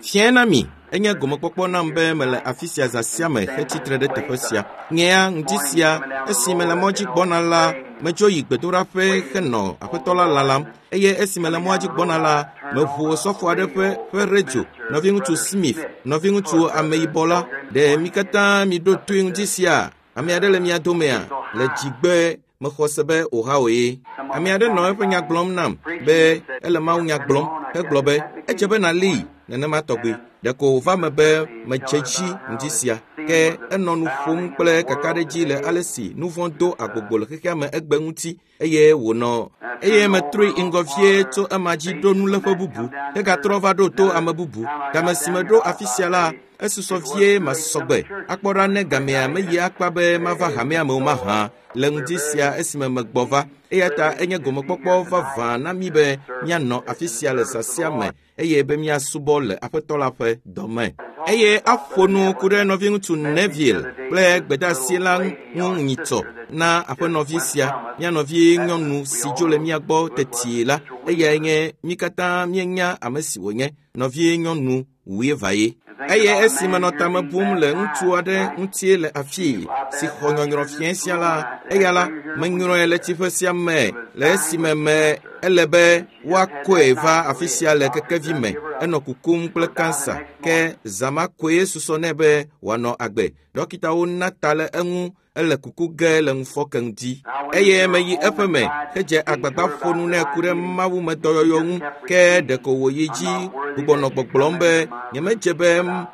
Fiẽ na mi, enye gomekpɔkpɔ nam be mele afi sia zã sia me hetsitre ɖe teƒe sia. Nyea ŋdi sia, esi mele mɔ dzi gbɔna la, medzo yi gbedoɖaƒe henɔ aƒetɔ la lalam eye esi mele mɔa dzi gbɔna la, meʋu osɔfo aɖe ƒe ƒe redio, nɔviŋutsu Smith, nɔviŋutsu ameyibɔ la. Ɖe mi katã miɖo toe ŋdi sia? Ame aɖe le mia domea? Le dzigbe mexɔ se be Ohio ye. Ame aɖe nɔ eƒe nya gblɔm nam be ele Mawu nya gblɔm hegblɔ be edze be nàlée nenema tɔgbi. Ɖeko wòva me be medze dzi ŋdi sia. Ke enɔ nu ƒom kple kakaɖedzi le ale si nu vɔ̃ do agbogbo le xexea me egbe ŋuti eye wònɔ eye metrɔe yi ŋgɔ vie tso ema dzi ɖo nuléƒe bubu hegatrɔ va ɖo to ame bubu. Game si meɖo afi sia la, esusɔ vie masɔ gbe akpɔ ɖa ne gamea meyi akpa be mava hamea me o mahã le ŋdi sia esime megbɔ va. Eya ta enye gomekpɔkpɔ vavã na mí be míanɔ afi sia le zã sia me eye be míasubɔ le aƒetɔ la ƒe dɔme. Eye aƒo nu ku ɖe nɔviŋutsu Neville kple gbedeasi la ŋu nyitsɔ na aƒenɔvi sia, mía nɔvi nyɔnu si dzo le mía gbɔ tetie la. Eyae nye mí katã míenya ame si wònye, nɔvi nyɔnu wuieve. Eye esi menɔ tame bum le ŋutsu aɖe ŋuti le afii si xɔ nyɔnyrɔ fiẽ sia la, eya la, menyrɔe le tsiƒe sia me le esime me ele be woakɔe va afi sia le kekevi me. Enɔ kukum kple kansa ke zã ma koe susɔ nɛ be wòanɔ agbe. Dɔkitawo na ta le eŋu ele kuku ge le ŋufɔke ŋdi. Eye meyi eƒe me hedze agbagba ƒo nu nɛ ku ɖe Mawu me dɔyɔyɔ ŋu ke ɖeko wòyi dzi gbugbɔ nɔ gbɔgblɔm be nyemedze be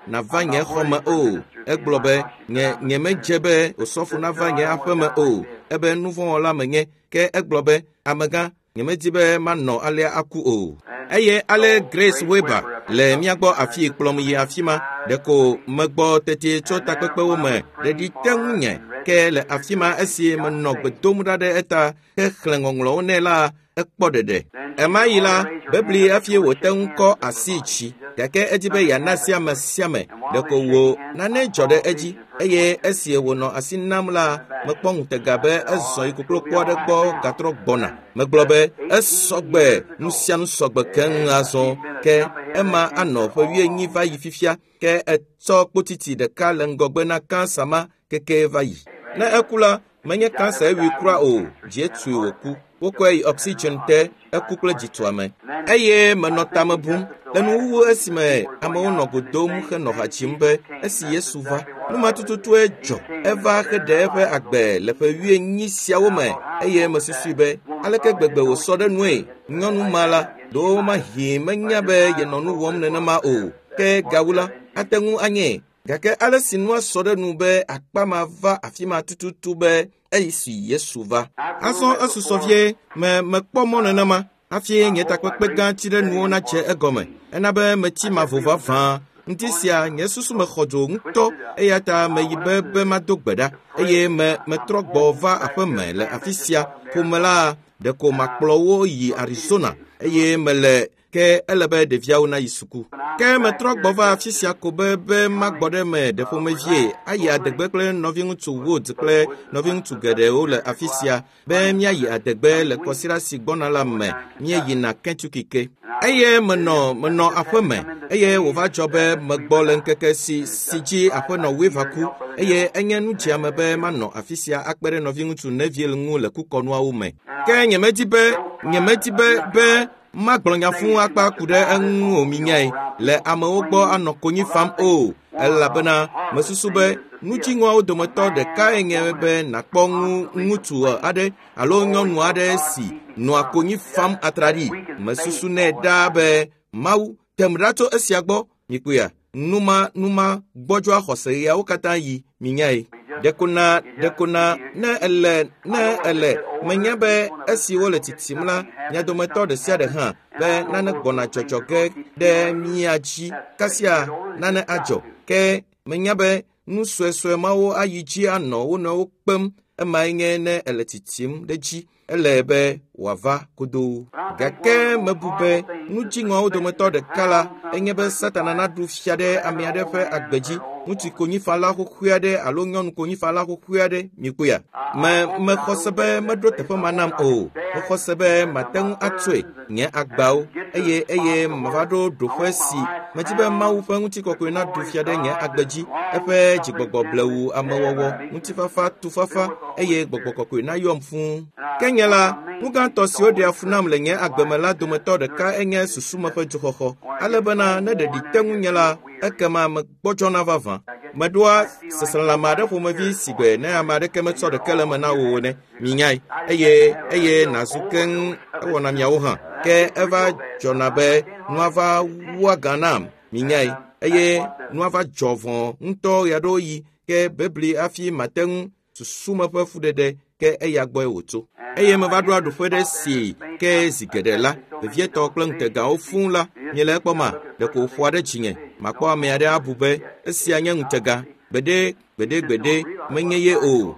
nava nye xɔ me o. Egblɔ be nye nyemedze be osɔfo nava nye aƒe me o. Ebe nuvɔ̃wɔla menye. Ke egblɔ be amegã nyemedi be manɔ alea aku o. Eye ale Grace Weber le mía gbɔ afii kplɔm yi afi ma. Ɖeko megbɔ teti tso takpekpewo me ɖeɖi te ŋunye ke le afi ma esi menɔ gbe dom ɖa ɖe eta hexlẽ ŋɔŋlɔwo nɛ la, ekpɔ ɖeɖe. Ema yi la, bebli hafi wòte ŋu kɔ asi tsi gake edi be yeana asi ame sia ame. Ɖeko wò nane dzɔ ɖe edzi eye esi wònɔ asi nam la, mekpɔ ŋutega be ezɔ yi koklokpo aɖe gbɔ gatrɔ gbɔna. Megblɔ be esɔgbe, nu sia nu sɔgbe keŋ azɔ ke ema anɔ ƒe wuienyi va yi fifia ke etsɔ kpotiti ɖeka le ŋgɔgbe na kansa ma keke va yi. Ne eku la, menye kansa ewui kura o, dzie tui wòku. Wokɔe yi oxygen te, eku kple dzituame. Eye menɔ tame bum le nuwuwu esime amewo nɔ go dom henɔ ha dzim be esi Yesu va. Nu ma tututue dzɔ. Eva heɖe eƒe agbe le ƒe wuienyi siawo me eye mesusui be aleke gbegbe wòsɔ ɖe nue. Nyɔnu ma la, ɖewomahi menya be yenɔ nu wɔm nenema o. Ke gawu la, ate ŋu anye. Gake ale si nua sɔ ɖe nu be akpa ma va afi ma tututu be esi Yesu va. Azɔ esusɔ vie me mekpɔ mɔ nenema hafi nye takpekpe gã tsi ɖe nuwo nadze egɔme. Ena be metsi mavo vavã. Ŋdi sia nye susu me xɔ dzo ŋutɔ eya ta meyi be be mado gbe ɖa eye me metrɔ gbɔ va aƒe me le afi sia. Ƒome la ɖeko makplɔ wo yi Arizona eye mele ke ele be ɖeviawo nayi suku. Ke metrɔ gbɔ va afi sia ko be be magbɔ ɖe me ɖe ƒomevie ayi adegbe kple nɔviŋutsu Wood kple nɔviŋutsu geɖewo le afi sia be míayi adegbe le kɔsiɖa si gbɔna la me míeyina Kentucky ke. Eye menɔ menɔ aƒe me eye wòva dzɔ be megbɔ le ŋkeke si si dzi aƒenɔ Weaver ku eye enye nudzeame be manɔ afi sia akpe ɖe nɔviŋutsu Neville ŋu le kukɔnuawo me. Ke nyemedi be nyemedi be be magblɔ nya fũu akpa ku ɖe eŋu o minyae le amewo gbɔ anɔ konyi fam o elabena mesusu be nudziŋɔawo dometɔ ɖekae nye be nàkpɔ ŋu ŋutsu aɖe alo nyɔnu aɖe si nɔa konyi fam atraɖii. Mesusu nɛ ɖaa be Mawu tem ɖa tso esia gbɔ. Mikpɔea, numa numa gbɔdzɔa xɔse ɣeawo katã yi minyae. Ɖeko na ɖeko na ne ele ne ele menya be esi wole tsitsim la, mia dometɔ ɖe sia ɖe hã be nane gbɔna dzɔdzɔ ge ɖe mía dzi kasia nane adzɔ. Ke menya be nu suesue mawo ayi dzi anɔ wo nɔewo kpem. Emae nye ne ele tsitsim ɖe dzi. Ele be wòava godoo. Gake mebu be nu dziŋɔawo dometɔ ɖeka la enye be Satana naɖu fia ɖe ame aɖe ƒe agbe dzi, ŋutsu konyifala xoxoe aɖe alo nyɔnu konyifala xoxoe aɖe, mikpɔea? Mexɔ se be meɖo teƒe ma nam o. Mexɔ se be mate ŋu atsoe nye agbawo eye mava ɖo ɖoƒe si medi be Mawu ƒe ŋutikɔkɔe naɖu fia ɖe nye agbe dzi, eƒe dzigbɔgbɔ blewu amewɔwɔ, ŋutifafa, tufafa eye gbɔgbɔ kɔkɔe nayɔm fũu. Ke nye la, nu gãtɔ siwo ɖea fu nam le nye agbe me la dometɔ ɖeka enye susume ƒe dzoxɔxɔ, ale bena ne ɖeɖi te ŋunye la, ekema megbɔdzɔna vavã. Meɖoa seselelãme aɖe ƒomevi si gbe ne ame aɖeke metsɔ ɖeke le eme na wò ene, minyae, eye nàzu keŋ ewɔna miawo hã. Ke eva dzɔna be nua va wua gã nam, minyae, eye nua va dzɔ vɔ ŋutɔ ɣeaɖewoɣi, ke bebli hafi mate ŋu susume ƒe fuɖeɖe ke eya gbɔe wòtso. Eye meva ɖoa ɖoƒe ɖe si ke zi geɖe la, vevietɔ kple ŋutegawo fũu la, miele ekpɔma, ɖeko wòƒoa ɖe dzinye. Makpɔ ame aɖe abu be esia nye ŋutega. Gbeɖe, gbeɖe, gbeɖe, menye ye o.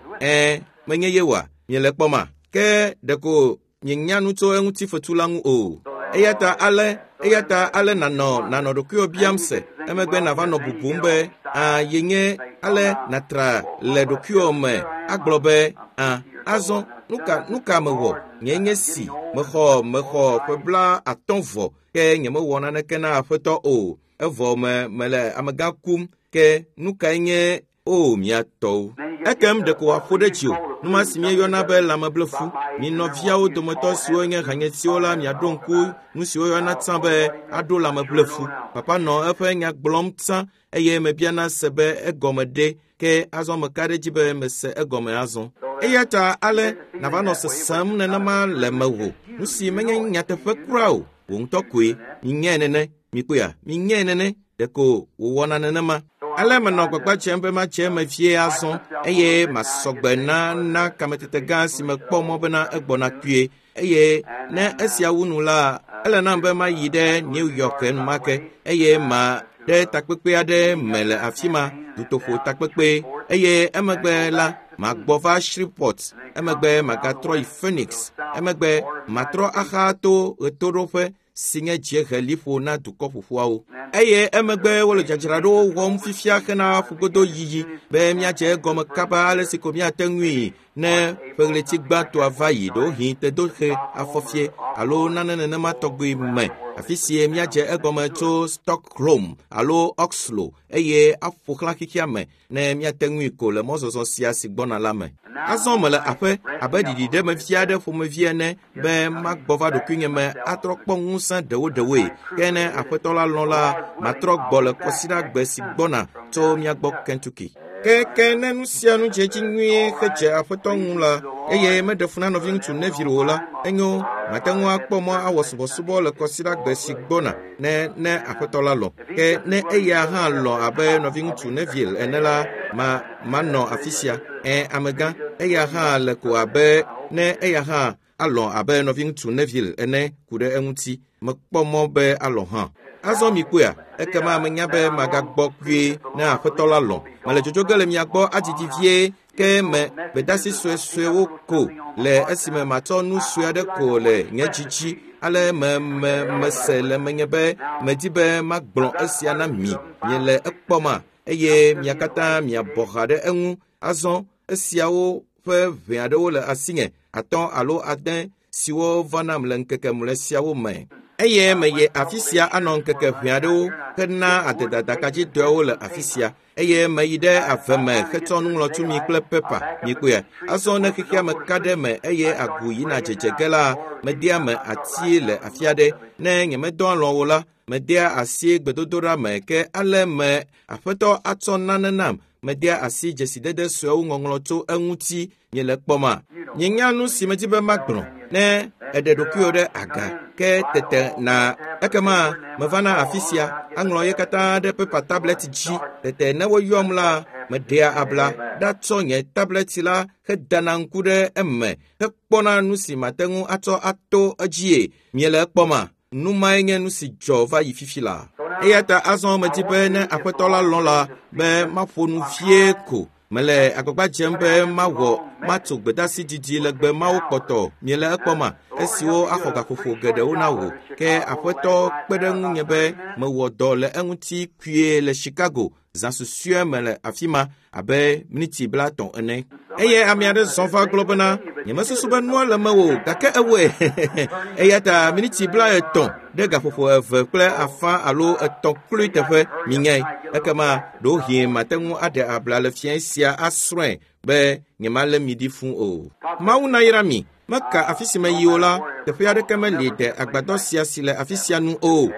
Menye ye oa? Miele ekpɔma? Ke ɖeko mienya nu tso eŋuti fetu la ŋu o. Eya ta ale nànɔ ɖokuiwò biam se, emegbe nàva nɔ bubum be, yenye ale nàtra le ɖokuiwò me agblɔ be, azɔ nu ka mewɔ? Nye nye si mexɔ ƒe 50 vɔ, ke nyemewɔ naneke na Aƒetɔ o. Evɔ mele amegã kum, ke nu kae nye o mia tɔwo? Ekem ɖeko wòaƒo ɖe dziwò. Nu ma si míeyɔna be lãmeblefu. Mi nɔviawo dometɔ siwo nye hanyetiwo la miaɖo ŋku nu si woyɔna tsã be aɖo lãmeblefu. Papa nɔ eƒe nya gblɔm tsã eye mebiana se be egɔme ɖe, ke azɔ meka ɖe edzi be mese egɔme azɔ. Eya ta ale nàva nɔ sesem nenema le mewò. Nu si menye nyateƒe kura o, wò ŋutɔ koe. Minyae nene, mikpɔea? Minyae nene, ɖeko wòwɔna nenema. Ale menɔ gbagba dzem be madze eme vie azɔ eye masɔgbe na kametete gã si mekpɔ mɔ bena egbɔna kpuie. Eye ne esia wu nu la, ele nam be mayi ɖe New York enumake eye ma ɖe takpekpe aɖe me le afi ma, dutoƒo takpekpe. Eye emegbe la, magbɔ va Shreveport, emegbe magatrɔ yi Phoenix, emegbe matrɔ axa to ɣetoɖoƒe si nye dziehe liƒo na dukɔ ƒoƒuawo. Eye emegbe wole dzadzraɖowo wɔm fifia hena ƒugodo yiyi be míadze egɔme kaba ale si ko míate ŋui ne ƒe ɣleti gbãtɔa va yi ɖewohĩ tedoxe afɔfie alo nane nenema tɔgbi me. Afi sie míadze egɔme tso Stockholm alo Oslo eye aƒo xlã xexea me ne míate ŋui ko le mɔzɔzɔ sia si gbɔna la me. Azɔ mele aƒe abe ɖiɖiɖemevi aɖe ƒomevi ene be magbɔ va ɖokuinye me atrɔ kpɔ ŋusẽ ɖewoɖewoe. Ke ne Aƒetɔ la lɔ̃ la, matrɔ gbɔ le kɔsiɖagbe si gbɔna tso mía gbɔ Kentucky. Ke ne nu sia nu dze edzi nyuie hedze Aƒetɔ ŋu la, eye meɖe fu na nɔviŋutsu Neville o la, enyo, mate ŋu akpɔ mɔ awɔ subɔsubɔ le kɔsiɖagbe si gbɔna ne Aƒetɔ la lɔ̃. Ke ne eya hã lɔ̃ abe nɔviŋutsu Neville ene la, manɔ afi sia. Amegã, eya hã le ko abe ne eya hã alɔ̃ abe nɔviŋutsu Neville ene ku ɖe eŋuti. Mekpɔ mɔ be alɔ̃ hã. Azɔ mikpɔea, ekema menya be magagbɔ kpuie ne Aƒetɔ la lɔ̃. Mele dzodzo ge le mia gbɔ adidi vie, ke me gbedasi suesuewo ko le esime matsɔ nu sue aɖe ko le nye dzi dzi. Ale mese le menye be medi be magblɔ esia na mi. Miele ekpɔma eye mia katã miabɔ ha ɖe eŋu. Azɔ esiawo ƒe ʋɛ aɖewo le asinye, 5 alo 6 siwo va nam le ŋkeke mlɔe siawo me. Eye meye afi sia anɔ ŋkeke ʋɛ aɖewo hena adedadakadzidɔawo le afi sia. Eye meyi ɖe ave me hetsɔ nuŋlɔtumi kple pepa, mikpɔe. Azɔ ne xexea me ka ɖe me eye agu yina dzedze ge la, medea me ati le afi aɖe. Ne nyemedɔ alɔ̃ o la, medea asi gbedodoɖa me ke ale me Aƒetɔ atsɔ nane nam. Medea asi dzesidede suewo ŋɔŋlɔ tso eŋuti. Miele kpɔma? Nyenya nu si medi be magblɔ. Ne eɖe ɖokuiwò ɖe aga, ke tete na ekema mevana afi sia aŋlɔ ye katã ɖe pepa tablet dzi. Tete ne woyɔm la, meɖea abla ɖatsɔ nye tablet la hedana ŋku ɖe eme hekpɔna nu si mate ŋu atsɔ ato edzie. Miele ekpɔma? Nu mae nye nu si dzɔ va yi fifi la. Eya ta azɔ medi be ne Aƒetɔ la lɔ̃ la be maƒo nu vie ko. Mele agbagba dzem be mawɔ matso gbedasi didi legbe mawo kpɔtɔ miele ekpɔma esiwo axɔ gaƒoƒo geɖewo na wò. Ke aƒetɔ kpe ɖe ŋunye be mewɔ dɔ le eŋuti kpuie le Chicago zã susɔe me le afi ma abe miniti 30 ene. Eye ame aɖe zɔ va gblɔ bena nyemesusu be nua le mewò gake ewɔe. Eya ta miniti 30 ɖe gaƒoƒo 2.5 alo 3 kloe teƒe minyae. Ekema ɖewohĩ mate ŋu aɖe abla le fiẽ sia asrɔ̃e be nyemalé mi ɖi fũ o. Mawu nayra mi. Meka afi si meyi o la, teƒe aɖeke meli de agbadɔ sia si le afi sia nu o.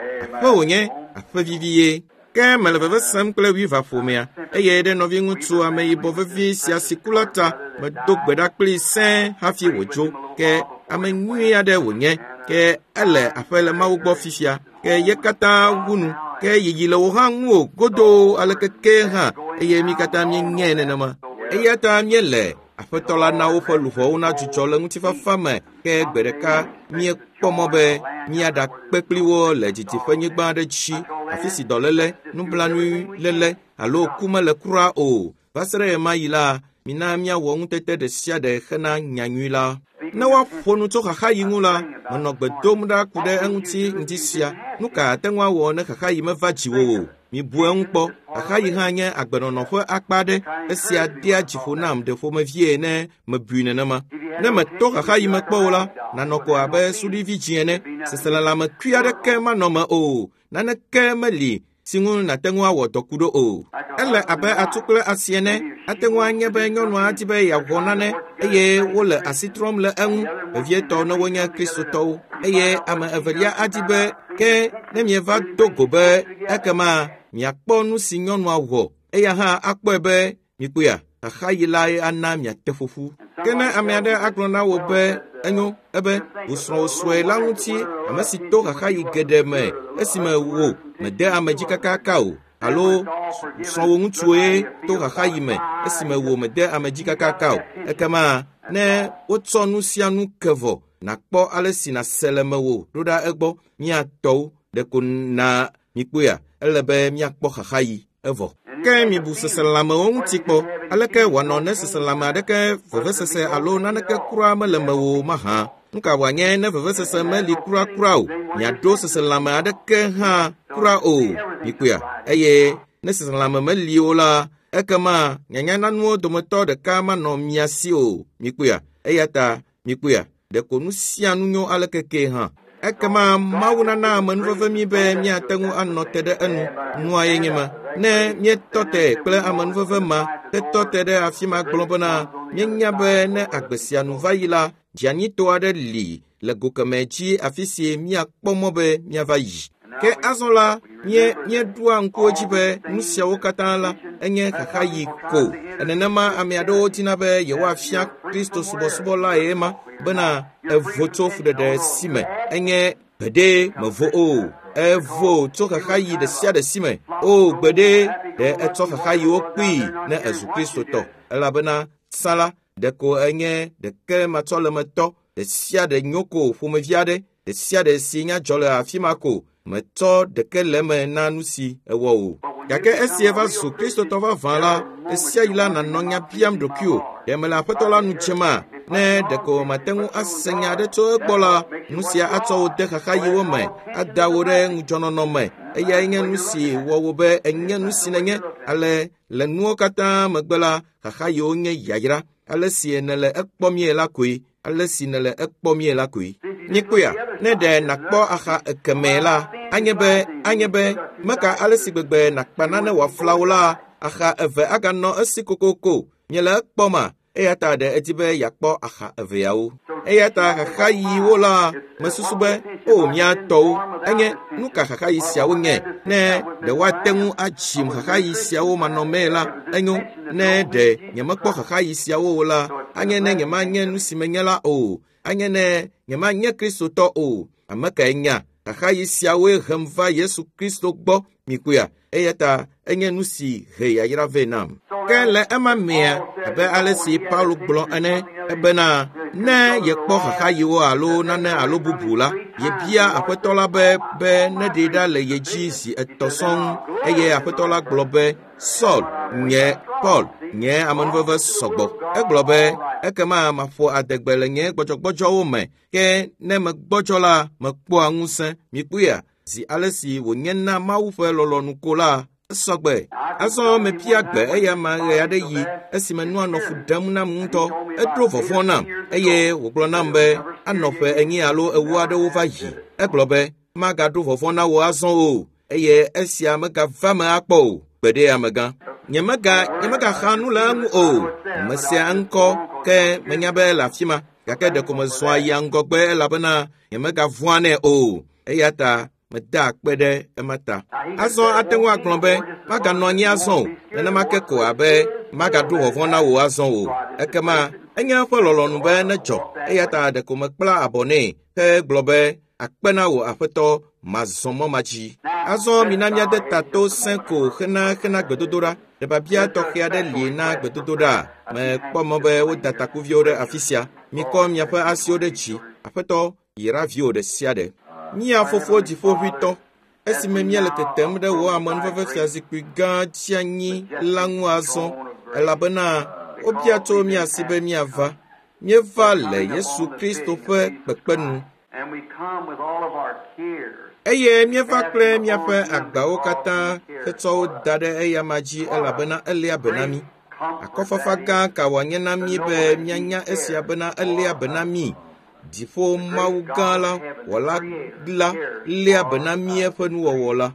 Aƒe wònye, aƒe vivi ye. Ke mele veve sem kple Weaver ƒomea, eye ɖe nɔviŋutsu ameyibɔ vevi sia si ku la ta medo gbe ɖa kplii sẽe hafi wòdzo. Ke ame nyui aɖe wònye, ke ele aƒe le Mawu gbɔ fifia. Ke ye katã wu nu, ke yiyi le wò hã ŋu o godoo aleke ke hã, eye mi katã míenyae nenema. Eya ta míele aƒetɔ la na woƒe luʋɔwo nadzudzɔ le ŋutifafa me. Ke gbe ɖeka míekpɔ mɔ be míaɖakpe kpli wo le didiƒenyigba aɖe dzi, afi si dɔléle, nublanuiléle alo ku mele kura o. Va se ɖe ɣemaɣi la, mina míawɔ ŋutete ɖe sia ɖe hena nyanyui la. Ne woaƒo nu tso xaxaɣi ŋu la, menɔ gbe dom ɖa ku ɖe eŋuti ŋdi sia. Nu ka ate ŋu awɔ ne xaxaɣi meva dziwò o? Mibu eŋu kpɔ. Xaxaɣi hã nye agbenɔnɔ ƒe akpa aɖe. Esia dea dzi ƒo nam ɖe ƒomevie ne mebui nenema. Ne meto xaxaɣi me kpɔ o la, nanɔ ko abe suɖivi dzi ene. Seselelãmekui aɖeke manɔ me o. Naneke meli si ŋu nàte ŋu awɔ dɔ ku ɖo o. Ele abe atu kple asi ene. Ate ŋu anye be nyɔnua di be yeawɔ nane eye wole asi trɔm le eŋu, vevietɔ ne wonye Kristotɔwo. Eye ame evelia adi be ke ne mieva do go be ekema miakpɔ nu si nyɔnua wɔ, eya hã akpɔe be mikpɔea, xaxaɣi lae ana miate ƒoƒu. Ke ne ame aɖe agblɔ na wò be enyo ebe wò srɔ̃wò sue la ŋuti ame si to xaxaɣi geɖe me esime wò mede ame dzi kakaka o, alo srɔ̃wò ŋutsue to xaxaɣi me esime wò mede ame dzi kakaka o, ekema ne wotsɔ nu sia nu ke vɔ, nàkpɔ ale si nàse le mewò ɖo ɖa egbɔ miatɔwo ɖeko na mikpɔea, ele be miakpɔ xaxaɣi evɔ. Ke mibu seselãmewo ŋuti kpɔ. Aleke wòanɔ ne seselãme aɖeke vevesese alo naneke kura mele mewò mahã? Nu ka wòanye ne vevesese meli kurakura o? Miaɖo seselãme aɖeke hã kura o. Mikpɔea, eye ne seselãme meli o la, ekema nyanyananuwo dometɔ ɖeka manɔ mia si o. Mikpɔea, eya ta mikpɔea, ɖeko nu sia nu nyo aleke ke hã. Ekema Mawu nana amenuveve mi be míate ŋu anɔ te ɖe enu. Nua ye nye ma. Ne míetɔ te kple amenuveve ma, tetɔ te ɖe afi ma gblɔ bena míenya be ne agbe sia nu va yi la, dzianyito aɖe li le go kemɛ dzi afi si míakpɔ mɔ be míava yi. Ke azɔ la, míeɖoa ŋkuwo dzi be nu siawo katã la enye xaxaɣi ko. Nenema ame aɖewo dina be yewoafia Kristo subɔsubɔ lae ma bena evo tso fuɖeɖe si me. Enye gbeɖe mevo o. Evo tso xaxaɣi ɖe sia ɖe si me. O gbeɖe ɖe etsɔ xaxaɣiwo kpee ne ezu Kristotɔ. Elabena tsã la, ɖeko enye ɖeke matsɔlemetɔ ɖe sia ɖe nyo ko ƒomevi aɖe ɖe sia ɖe si nya dzɔ le afi ma ko metsɔ ɖeke le eme na nu si ewɔ o. Gake esi eva zu Kristotɔ vavã la, ɣesiaɣi la nànɔ nya biam ɖokuiwò, ɖe mele aƒetɔ la nu dzema? Ne ɖeko mate ŋu ase nya aɖe tso egbɔ la, nu sia atsɔ wò de xaxaɣiwo me, ada wò ɖe ŋudzɔnɔnɔ me. Eyae nye nu si wɔ wò be ènye nu si nènye. Ale le nuwo katã megbe la, xaxaɣiwo nye yayra. Ale si nèle ekpɔmie la koe. Ale si nèle ekpɔmie la koe. Mikpɔea, ne ɖe nàkpɔ axa ekemɛ la, anye be meka ale si gbegbe nàkpa nane wòafla wò la, axa eve aganɔ esi kokoko. Miele ekpɔma? Eya ta ɖe edi be yeakpɔ axa eveawo. Eya ta xaxaɣiwo la, mesusu be o mía tɔwo, enye nu ka xaxaɣi siawo nye? Ne ɖe woate ŋu adzim xaxaɣi siawo manɔmee la, enyo. Ne ɖe nyemekpɔ xaxaɣi siawo o la, anye ne nyemanye nu si menye la o. Anye ne nyemanye Kristotɔ o. Ame kae nya? Xaxaɣi siawoe hem va Yesu Kristo gbɔ. Mikpɔea, eya ta enye nu si he yayra vɛ nam. Ke le ema mea, abe ale si Paulo gblɔ ene, ebena ne yekpɔ xaxaɣiwo alo nane alo bubu la, yebia aƒetɔ la be neɖee ɖa le ye dzi zi etɔ̃ sɔŋ. Eye aƒetɔ la gblɔ be, Saul, Nye Paul, nye amenuveve sɔgbɔ. Egblɔ be, ekema maƒo adegbe le nye gbɔdzɔgbɔdzɔwo me, ke ne megbɔdzɔ la, mekpɔa ŋusẽ. Mikpɔea, zi ale si wònye na Mawu ƒe lɔlɔ̃nu ko la, esɔgbe. Azɔ mebia gbe eya ma ɣe aɖe yi esime nua nɔ fu ɖem nam ŋutɔ. Eɖo vɔvɔ̃ nam eye wògblɔ nam be anɔ ƒe 40 alo 40 aɖewo va yi. Egblɔ be, magaɖo vɔvɔ̃ na wò azɔ o, eye esia megava me akpɔ o. Gbeɖe amegã. Nyemegaxa nu le eŋu o. Mesea ŋkɔ, ke menya be le afi ma, gake ɖeko mezɔa yia ŋgɔgbe elabena nyemegavɔ̃a nɛ o. Eya ta meda akpe ɖe ema ta. Azɔ ate ŋu agblɔ be maganɔ anyi azɔ o, nenema ke ko abe magaɖo vɔvɔ̃ na wò azɔ o. Ekema enye eƒe lɔlɔ̃nu be nedzɔ, eya ta ɖeko mekpla abɔ nɛ hegblɔ be akpe na wò aƒetɔ, mazɔ mɔ ma dzi. Azɔ mina míade ta to sẽ ko hena gbedodoɖa. Ɖe biabia tɔxɛ aɖe li na gbedodoɖa. Mekpɔ mɔ be woda takuviwo ɖe afi sia. Mikɔ miaƒe asiwo ɖe dzi. Aƒetɔ, yra viwò ɖe sia ɖe. Mía fofo dziƒoʋĩtɔ, esime míele tetem ɖe wò amenuveve fiazikpui gã dzi anyi la ŋu azɔ, elabena wobia tso mía si be míava. Míeva le Yesu Kristo ƒe kpekpe nu. Eye míeva kple míaƒe agbawo katã hetsɔ wo da ɖe eyama dzi elabena eléa be na mí. Akɔfafa gã ka wòanye na mí be míanya esia bena eléa be na mí. Dziƒo Mawu gã la, wɔla la, léa be na mí eƒe nuwɔwɔ la.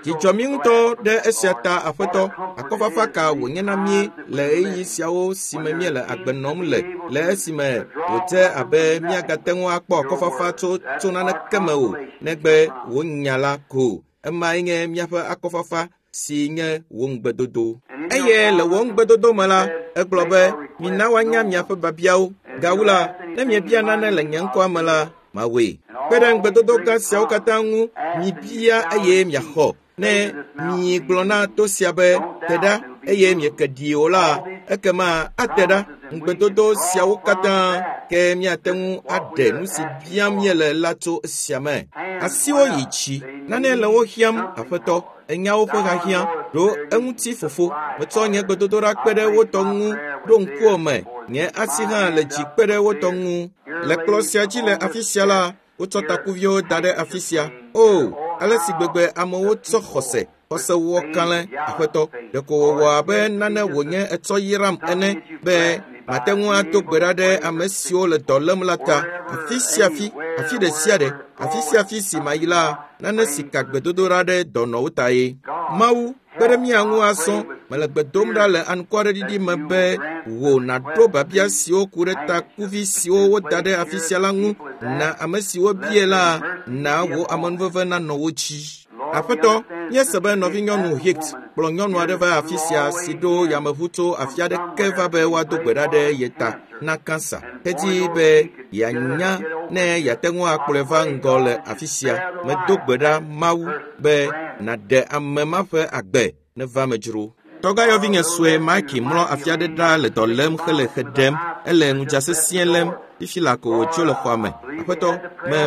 Dzidzɔ mí ŋutɔ ɖe esia ta, Aƒetɔ. Akɔfafa ka wònye na mí le ɣeyiɣi siawo si me míele agbe nɔm le esime wòdze abe míagate ŋu akpɔ akɔfafa tso naneke me o, negbe wò nya la ko. Emae nye míaƒe akɔfafa si nye wò ŋugbedodo. Eye le wò ŋugbedodo me la, egblɔ be, mina woanya miaƒe biabiawo. Gawu la, ne miebia nane le nye ŋkɔa me la, mawɔe. Kpe ɖe ŋugbedodo gã siawo katã ŋu, mibia eye miaxɔ. Ne miegblɔ na to sia be, te ɖa, eye mieke ɖi o la, ekema ate ɖa. Ŋugbedodo siawo katã, ke miate ŋu aɖe nu si biam míele la tso esia me. Asiwo yi dzi, nane le wo hiãm, Aƒetɔ. Enya woƒe hiahiã, ɖo eŋuti fofo. Metsɔ nye gbedodoɖa kpe ɖe wo tɔ ŋu, ɖo ŋkuwò me. Nye asi hã le dzi kpe ɖe wo tɔ ŋu. Le kplɔ̃ sia dzi le afi sia la, wotsɔ takuviwo da ɖe afi sia. O, ale si gbegbe amewo tsɔ xɔse wɔ kalẽ, Aƒetɔ. Ɖeko wòwɔ abe nane wònye etsɔ yram ene be mate ŋu ado gbe ɖa ɖe ame siwo le dɔ lém la ta. Afi sia afi, afi ɖe sia ɖe, afi sia afi si mayi la, nane si ka gbedodoɖa ɖe dɔnɔwo ta ye. Mawu, kpe ɖe mía ŋu azɔ. Mele gbe dom ɖa le anukwareɖiɖi me be wò nàɖo biabia siwo ku ɖe takuvi siwo woda ɖe afi sia la ŋu. Na ame siwo bie la, na wò amenuveve nanɔ wo dzi. Aƒetɔ, míese be nɔvinyɔnu Hicks kplɔ nyɔnu aɖe va afi sia si ɖo yameʋu tso afi aɖeke va be woado gbe ɖa ɖe ye ta na kansa. Hedi be yeanya ne yeate ŋu akplɔe va ŋgɔ le afi sia. Medo gbe ɖa Mawu be nàɖe ame ma ƒe agbe neva me dzro. Tɔgãyɔvinye sue Mike mlɔ afi aɖe ɖa le dɔ lém hele xe ɖem. Ele ŋudza sesĩe lém. Fifi la ko wòtso le xɔa me. Aƒetɔ,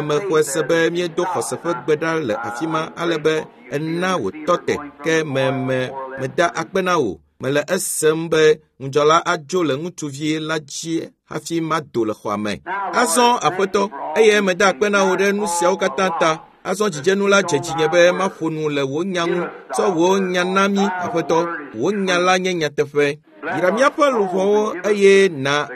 mexɔe se be míedo xɔse ƒe gbe ɖa le afi ma ale be ena wòtɔ te ke meda akpe na wò. Mele esem be ŋudzɔla adzo le ŋutsuvi la dzi hafi mado le xɔa me. Azɔ Aƒetɔ, eye meda akpe na wò ɖe nu siawo katã ta. Azɔ dzidzenu la dze dzinye be maƒo nu le wò nya ŋu. Tsɔ wò nya na mí, Aƒetɔ. Wò nya la nye nyateƒe. Yra míaƒe luʋɔwo eye na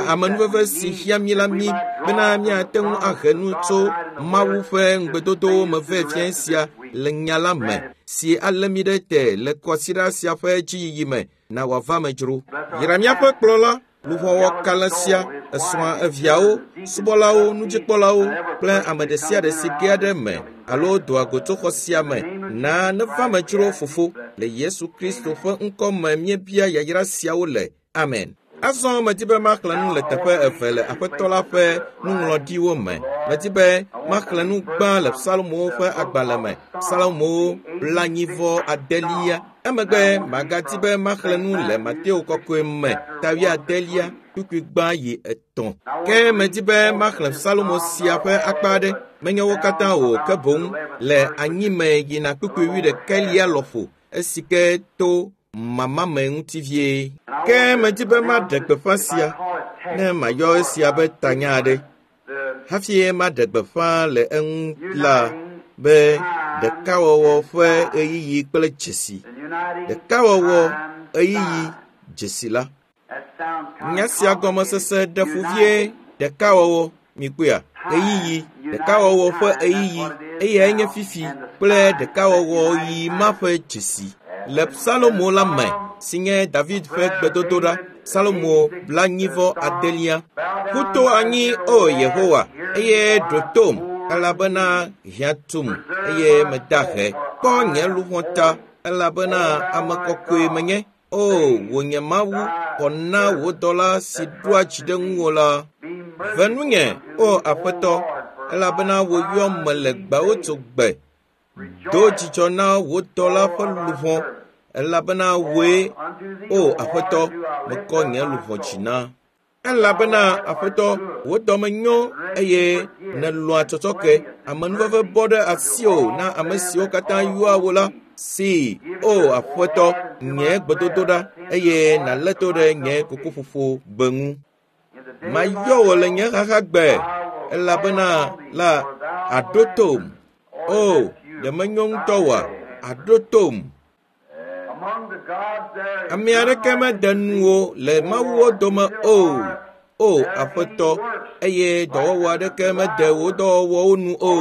amenuveve si hiã mí la mí bena míate ŋu ahe nu tso Mawu ƒe ŋugbedodowo me vɛ fiẽ sia le nya la me si alé mí ɖe te le kɔsiɖa sia ƒe dziyiyi me na wòava me dzro. Yra míaƒe kplɔla, luʋɔwɔ kalẽ sia, esrɔ̃a eviawo, subɔlawo, nudzikpɔlawo kple ame ɖe sia ɖe si gea ɖe me alo doa go tso xɔ sia me. Na neva me dzro fofo. Le Yesu Kristo ƒe ŋkɔ me míebia yayra siawo le. Amen. Azɔ medi be maxlẽ nu le teƒe eve le Aƒetɔ la ƒe nuŋlɔɖiwo me. Medi be maxlẽ nu gbã le Psalmowo ƒe agbalẽ me, Psalmowo 49. Emegbe magadi be maxlẽ nu le Mateo kɔkɔe me, ta 80, kpukpui gbã yi 3. Ke medi be maxlẽ Psalmo sia ƒe akpa aɖe, menye wo katã o, ke boŋ le anyime yina kpukpui 11 lɔƒo, esi ke to mamame ŋuti vie. Ke medi be maɖe gbeƒã sia ne mayɔ esia be tanya aɖe. Hafi maɖe gbeƒã le eŋu la be ɖekawɔwɔ ƒe ɣeyiɣi kple dzesi. Ɖekawɔwɔ ɣeyiɣi dzesi la. Nya sia gɔmesese ɖe fu vie ɖekawɔwɔ mikpɔea ɣeyiɣi ɖekawɔwɔ ƒe ɣeyiɣi eyae nye fifi kple ɖekawɔwɔ ɣi ma ƒe dzesi. Le Salomo la me si nye David ƒe gbedodoɖa Salomo 49. Ƒu to anyi o Yehowa eye ɖo tom elabena hiã tum eye meda he. Kpɔ nye luʋɔ ta elabena ame kɔkɔe menye. O wò nye Mawu, xɔ na wò dɔla si ɖoa dzi ɖe ŋuwò la. Ve nunye, o Aƒetɔ, elabena wò yɔm mele gbewo gbe. Do dzidzɔ na wò dɔla ƒe luʋɔ, elabena wòe, o Aƒetɔ, mekɔ nye luʋɔ dzi na. Elabena Aƒetɔ, wò dɔme nyo eye nèlɔ̃a tsɔtsɔke. Amenuveve bɔ ɖe asiwò na ame siwo katã yɔa wò la. See, o Aƒetɔ, nye gbedodoɖa eye nàlé to ɖe nye kokoƒoƒo gbe ŋu. Mayɔ wò le nye xaxagbe elabena la àɖo tom. O, ɖe menyo ŋutɔ oa? Àɖo tom. Ame aɖeke mede nuwò le mawuwo dome o, o Aƒetɔ, eye dɔwɔwɔ aɖeke mede wò dɔwɔwɔwo nu o.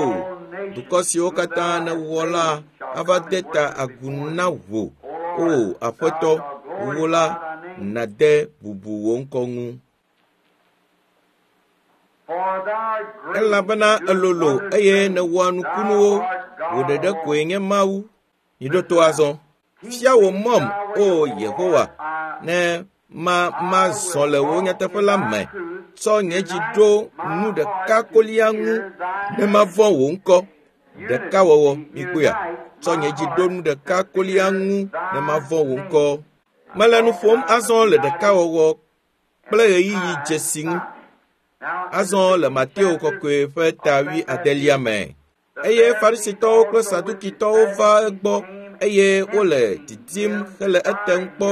Dukɔ siwo katã nèwɔ la ava de ta agu na wò, o Aƒetɔ, wò la nàde bubu wò ŋkɔ ŋu. Elabena èlolo eye nèwɔa nukunuwo, wò ɖeɖe koe nye Mawu. Miɖo to azɔ. Fia wò mɔm, o Yehowa, ne mazɔ le wò nyateƒe la me. Tsɔ nye dzi ɖo nu ɖeka kolia ŋu ne mavɔ̃ wò ŋkɔ. Ɖekawɔwɔ, mikpɔea? Tsɔ nye dzi ɖo nu ɖeka kolia ŋu ne mavɔ̃ wò ŋkɔ. Mele nu ƒom azɔ le ɖekawɔwɔ kple ɣeyiɣi dzesi ŋu. Azɔ le Mateo kɔkɔe ƒe ta 8 me. Eye Farisitɔwo kple Sadukitɔwo va egbɔ eye wole didim hele etem kpɔ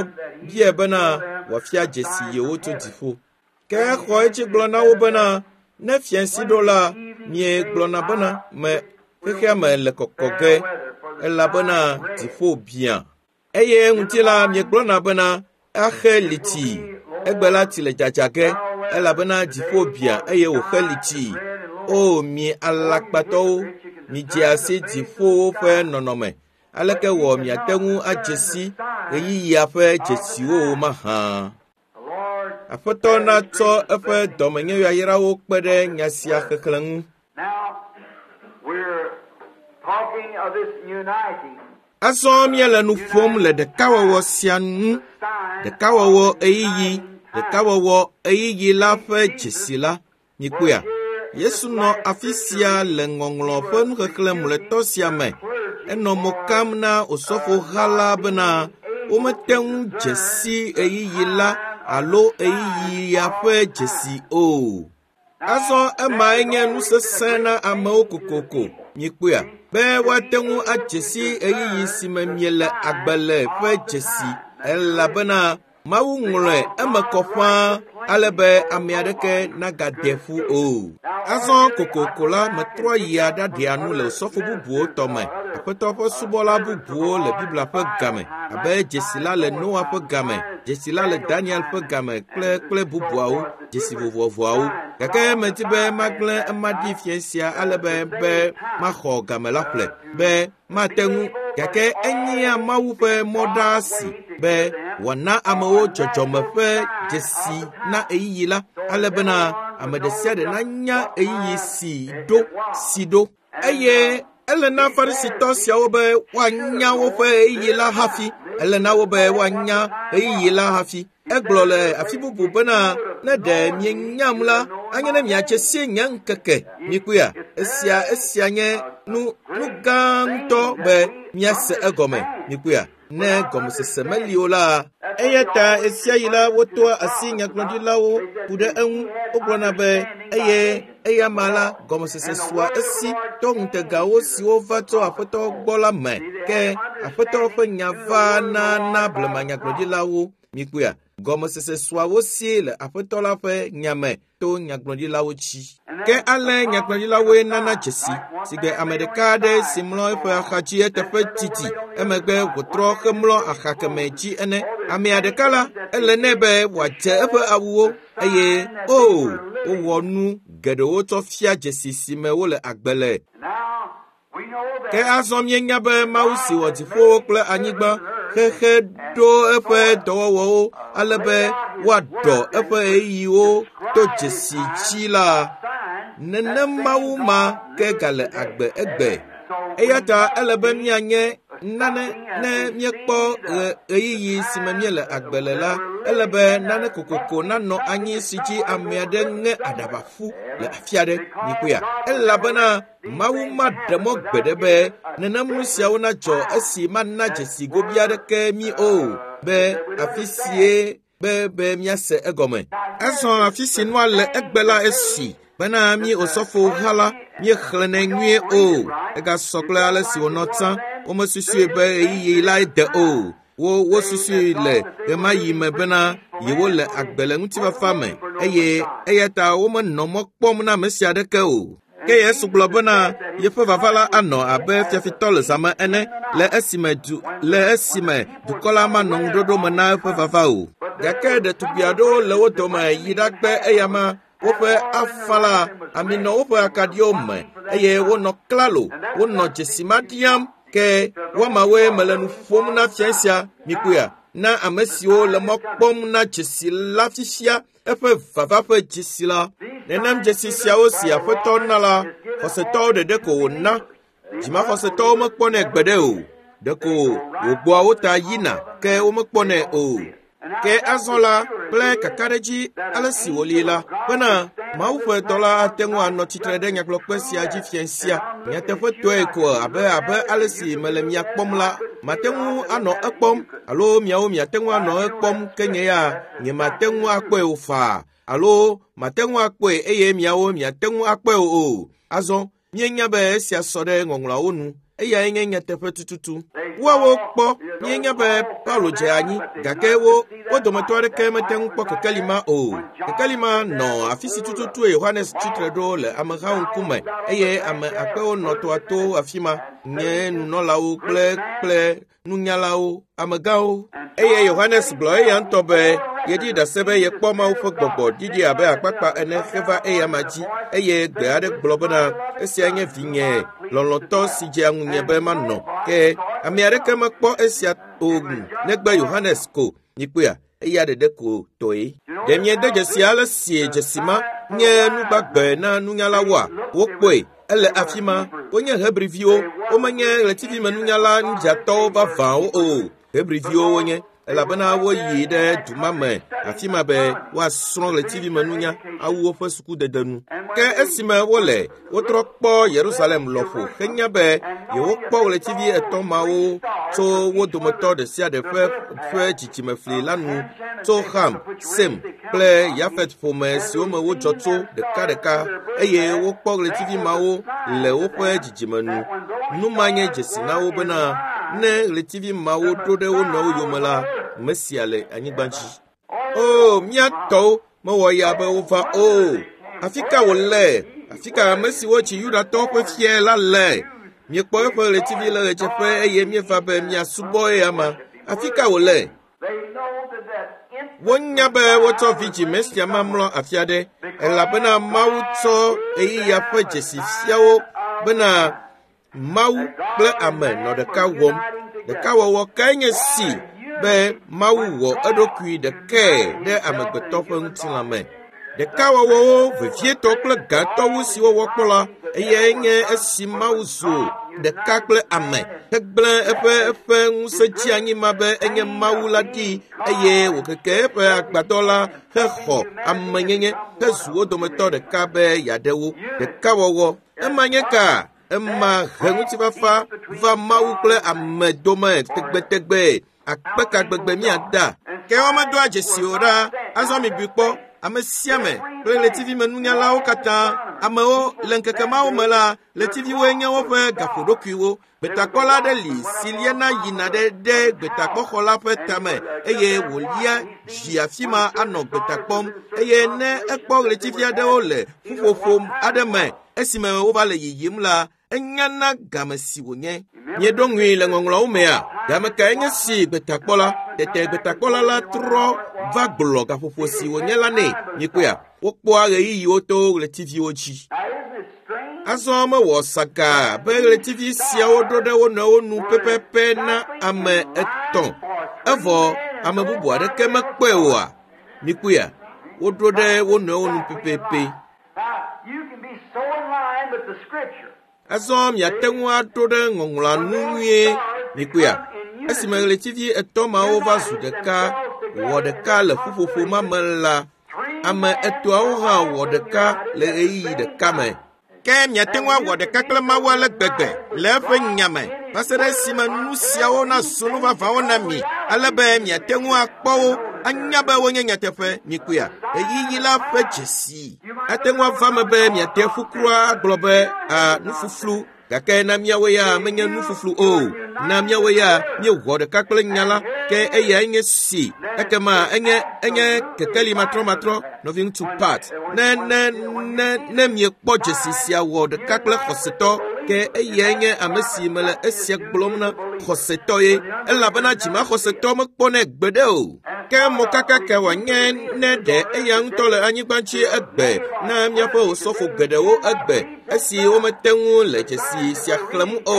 bia bena wòafia dzesi yewo tso dziƒo. Ke exɔ edzi gblɔ na wo bena, ne fiẽsi ɖo la, miegblɔna bena me xexea me le kɔkɔ ge elabena dziƒo biã. Eye ŋuti la miegblɔna bena axe liti. Egbe la tsi le dzadza ge elabena dziƒo biã eye wòxe liti. O mi alakpatɔwo, midze asi dziƒowo ƒe nɔnɔme. Aleke wɔ miate ŋu adze si ɣeyiɣia ƒe dzesiwo mahã? Aƒetɔ natsɔ eƒe dɔmenyoyayrawo kpe ɖe nya sia xexlẽ ŋu. Azɔ míele nu ƒom le ɖekawɔwɔ sia ŋu. Ɖekawɔwɔ ɣeyiɣi, ɖekawɔwɔ ɣeyiɣi la ƒe dzesi la. Mikpɔea? Yesu nɔ afi sia le ŋɔŋlɔ ƒe nuxexlẽ mlɔetɔ sia me. Enɔ mo kam na Osɔfoha la bena womete ŋu dze si ɣeyiɣi la alo ɣeyiɣia ƒe dzesi o. Azɔ emae nye nu sesẽ na amewo kokoko. Mikpɔea? Be woate ŋu adze si ɣeyiɣi si me miele agbe le ƒe dzesi elabena Mawu ŋlɔe eme kɔ ƒãa ale be ame aɖeke nagade ƒu o. Azɔ kokoko la metrɔ yia ɖaɖea nu le osɔfo bubuwo tɔ me. Aƒetɔ ƒe subɔla bubuwo le Biblia ƒe game abe dzesi la le Noa ƒe game, dzesi la le Daniel ƒe game kple bubuawo, dzesi vovovoawo. Gake medi be magblẽ ema ɖi fiẽ sia ale be maxɔ game la ƒle be mate ŋu gake enyea Mawu ƒe mɔ ɖaa si be wòana amewo dzɔdzɔme ƒe dzesi na ɣeyiɣi la ale bena ame ɖe sia ɖe nanya ɣeyiɣi si ɖo. Eye ele na Farisitɔ siawo be woanya woƒe ɣeyiɣi la hafi. Ele na wo be woanya ɣeyiɣi la hafi. Egblɔ le afi bubu bena ne ɖe mienyam la, anye ne miatse si nye ŋkeke. Mikpɔea? Esia nye nu gã ŋutɔ be miase egɔme. Mikpɔea? Ne gɔmesese meli o la, eya ta ɣesiaɣi la wotoa asi nyagblɔɖilawo ku ɖe eŋu. Wogblɔna be eye Eya ma la gɔmesese sua esi to ŋutegawo siwo va tso Aƒetɔ gbɔ la me. Ke Aƒetɔ ƒe nya va na blema nyagblɔɖilawo. Mikpɔea, gɔmesese sua wo si le Aƒetɔ la ƒe nya me to nyagblɔɖilawo dzi. Ke ale nyagblɔɖilawoe nana dzesi si gbe ame ɖeka aɖe si mlɔ eƒe axa dzi eteƒe didi emegbe wòtrɔ hemlɔ axa kemɛ dzi ene. Amea ɖeka la, ele nɛ be wòadze eƒe awuwo eye o wowɔ nu geɖewo tsɔ fia dzesi si me wole agbe le. Ke azɔ míenya be Mawu si wɔ dziƒowo kple anyigba xexe ɖo eƒe dɔwɔwɔwo ale be woaɖɔ eƒe ɣeyiɣiwo to dzesi dzi la, nenem Mawu ma ke gale agbe egbe. Eya ta ele be míanye nane ne míekpɔ ɣeyiɣi si me míele agbe le la, ele be nane kokoko nanɔ anyi si dzi ame aɖe ŋe aɖaba ƒu le afi aɖe. Mikpɔea, elabena Mawu maɖe mɔ gbeɖe be nenem nu siawo nadzɔ esi mana dzesi gobi aɖeke mí o be afi sie be míase egɔme. Azɔ afi si nua le egbe la esi bena mí osɔfo ha la míexlẽnɛ nyuie o. Egasɔ kple ale si wònɔ tsã. Womesusui be ɣeyiɣi lae de o. Wosusui le ɣemaɣi me bena yewole agbe le ŋutifafa me eye eya ta womenɔ mɔ kpɔm na ame sia aɖeke o. Ke Yesu gblɔ bena yeƒe vava la anɔ abe fiafitɔ le zãme ene le esime dukɔ la manɔ ŋuɖoɖo me na eƒe vava o. Gake ɖetugbi aɖewo le wo dome yi ɖakpe eyama woƒe afa la ami nɔ woƒe akaɖiwo me eye wonɔ klalo, wonɔ dzesi ma ɖiam. Ke woamawoe mele nu ƒom na fia sia, mikpɔea, na ame siwo le mɔ kpɔm na dzesi la fifia, eƒe vava ƒe dzesi la. Nenem dzesi siawo si Aƒetɔ na la, xɔsetɔwo ɖeɖe ko wòna. Dzimaxɔsetɔwo mekpɔnɛ gbeɖe o. Ɖeko wògbɔa wo ta yina, ke womekpɔnɛ o. Ke azɔ la kple kakaɖedzi ale si wòli la, bena Mawu ƒe dɔla ate ŋu anɔ tsitre ɖe nyagblɔkpe sia dzi fia sia. Nyateƒetɔe ko abe ale si mele mia kpɔm la, mate ŋu anɔ ekpɔm alo miawo miate ŋu anɔ ekpɔm ke nye ya nyemate ŋu akpɔe o faa alo mate ŋu akpɔe eye miawo miate ŋu akpɔe o. Azɔ míenya be esia sɔ ɖe ŋɔŋlɔawo nu. Eyae nye nyateƒe tututu. Woawo kpɔ míenya be Paulo dze anyi gake wo dometɔ aɖeke mete ŋu kpɔ kekeli ma o. Kekeli ma nɔ afi si tututue Yohanes tsitre ɖo le amehawo ŋkume eye ame akpewo nɔ toa to afi ma nye nunɔlawo kple nunyalawo, amegãwo. Eye Yohanes gblɔ eya ŋutɔ be yeɖi ɖase be yekpɔ Mawu ƒe gbɔgbɔ ɖiɖi abe akpakpa ene heva eyama dzi eye gbe aɖe gblɔ bena esia nye vinye lɔlɔ̃tɔ si dzea ŋunye be manɔ. Ke ame aɖeke mekpɔ esia o negbe Yohanes ko. Mikpɔea, eya ɖeɖe ko tɔe. Ɖe miede dzesi ale si dzesi ma nye nugbagbe na nunyalawoa? Wokpɔe. Ele afi ma. Wonye Hebriviwo. Womenye ɣletivimenunyala nudzatɔwo vavãwo o. Hebriviwo wonye elabena woyi ɖe du ma me afi ma be woasrɔ̃ ɣletivimenunya awu woƒe sukudede nu. Ke esime wole wotrɔ kpɔ Yerusalem lɔƒo henya be yewokpɔ ɣletivi etɔ̃ mawo tso wo dometɔ ɖe sia ɖe ƒe dzidzimefli la nu tso Ham, Sem kple Yafet ƒome siwo me wodzɔ tso ɖekaɖeka eye wokpɔ ɣletivi mawo le woƒe dzidzime nu. Nu ma nye dzesi na wo bena ne ɣletivi mawo ɖo ɖe wo nɔewo yome la, Mesia le anyigba dzi. O, mía tɔwo mewɔ ya be wova o. Afi ka wòle? Afi ka ame siwo tsi Yudatɔwo ƒe fia la le? Míekpɔ eƒe ɣletivi le ɣedzeƒe eye míeva be míasubɔ eyama. Afi ka wòle? Wonya be wotsɔ vidzĩ Mesia ma mlɔ afi aɖe elabena Mawu tsɔ ɣeyiɣia ƒe dzesi fia wo bena Mawu kple ame nɔ ɖeka wɔm. Ɖekawɔwɔ kae nye si be Mawu wɔ eɖokui ɖekae ɖe amegbetɔ ƒe ŋutilã me. Ɖekawɔwɔwo vevietɔ kple gãtɔwo siwo wokpɔ la, eyae nye esi Mawu zu ɖeka kple ame hegblẽ eƒe ŋusẽ dzi anyi ma be enye Mawu la ɖi eye wòkeke eƒe agbadɔ la hexɔ amenyenye hezu wo dometɔ ɖeka be yeaɖe wo. Ɖekawɔwɔ ema nye ka? Ema he ŋutifafa va Mawu kple ame dome tegbetegbe. Akpe ka gbegbe míada? Ke womedoa dzesi o ɖa. Azɔ mibui kpɔ. Ame sia ame kple ɣletivimenunyalawo katã, amewo le ŋkeke mawo me la, ɣletiviwoe nye woƒe gaƒoɖokuiwo. Gbetakpɔla aɖe li si liana yina ɖe ɖe gbetakpɔxɔ la ƒe tame eye wòlia dzi afi ma anɔ gbeta kpɔm eye ne ekpɔ ɣletivi aɖewo le ƒuƒoƒo aɖe me esime wova le yiyim la, enyana game si wònye. Mieɖo ŋui le ŋɔŋlɔawo mea? Game kae nye si gbetakpɔla? Tete gbetakpɔla la trɔ va gblɔ gaƒoƒo si wònye la nɛ. Mikpɔea? Wokpɔa ɣeyiɣiwo to ɣletiviwo dzi. Azɔ mewɔ saka be ɣletivi siawo ɖo ɖe wo nɔewo nu pɛpɛpɛ na ame etɔ̃ evɔ ame bubu aɖeke mekpɔe oa? Mikpɔea? Woɖo ɖe wo nɔewo nu pɛpɛpɛ. Azɔ miate ŋu aɖo ɖe ŋɔŋlɔa nu nyuie. Mikpɔea? Esime ɣletivi etɔ̃ mawo va zu ɖeka, wɔ ɖeka le ƒuƒoƒo ma me la, ame etɔ̃awo hã wɔ ɖeka le ɣeyiɣi ɖeka me. Ke miate ŋu awɔ ɖeka kple Mawu ale gbegbe le eƒe nya me va se ɖe esime nu siawo nazu nu vavãwo na mi ale be miate ŋu akpɔ wo anya be wonye nyateƒe. Mikpɔea? Ɣeyiɣi la ƒe dzesi. Ate ŋu ava eme be miate ƒu kura agblɔ be, a nufuflu gake na míawo ya menye nufuflu o. Na míawo ya míewɔ ɖeka kple nya la, ke eyae nye si. Ekema enye enye kekeli matrɔmatrɔ, nɔviŋutsu Pat. Ne ne ne ne miekpɔ dzesi sia wɔ ɖeka kple xɔsetɔ, ke eyae nye ame si mele esia gblɔm na xɔsetɔ ye, elabena dzimaxɔsetɔ mekpɔnɛ gbeɖe o. Ke mokaka ka wòanye ne ɖe eya ŋutɔ le anyigba dzi egbe na míaƒe osɔfo geɖewo egbe esi womete ŋu le dzesi sia xlẽm o.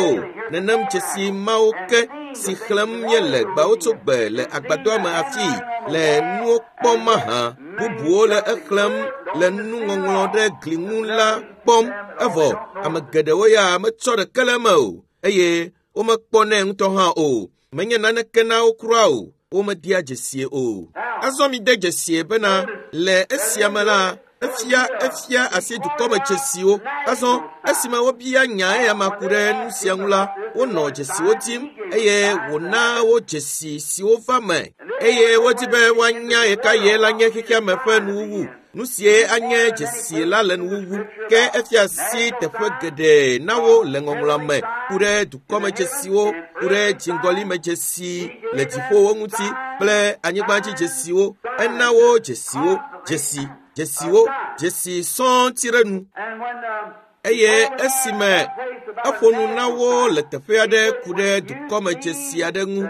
Nenem dzesi mawo ke si xlẽm míele gbawotsogbe le agbadɔa me afii le nuwo kpɔm mahã. Bubuwo le exlẽm le nuŋɔŋlɔ ɖe gli ŋu la kpɔm evɔ ame geɖewo ya metsɔ ɖeke le eme o eye womekpɔnɛ ŋutɔ hã o. Menye naneke na wo kura o. Womedea dzesie o. Azɔ mide dzesie bena le esia me la, efia efia asi dukɔme dzesiwo. Azɔ esime wobia nya eyama ku ɖe nu sia ŋu la, wonɔ dzesiwo dim eye wòna wo dzesi siwo va me eye wodi be woanya ɣekaɣie la nye xexeame ƒe nuwuwu. Nu sie anye dzesi la le nuwuwu ke efia asi teƒe geɖe na wo le ŋɔŋlɔa me ku ɖe dukɔmedzesiwo, ku ɖe dziŋgɔlimedzesi le dziƒowo ŋuti kple anyigbadzidzesiwo. Ena wo dzesiwo, dzesi, dzesiwo, dzesi sɔŋ ti ɖe nu. Eye esime eƒo nu na wo le teƒe aɖe ku ɖe dukɔmedzesi aɖe ŋu,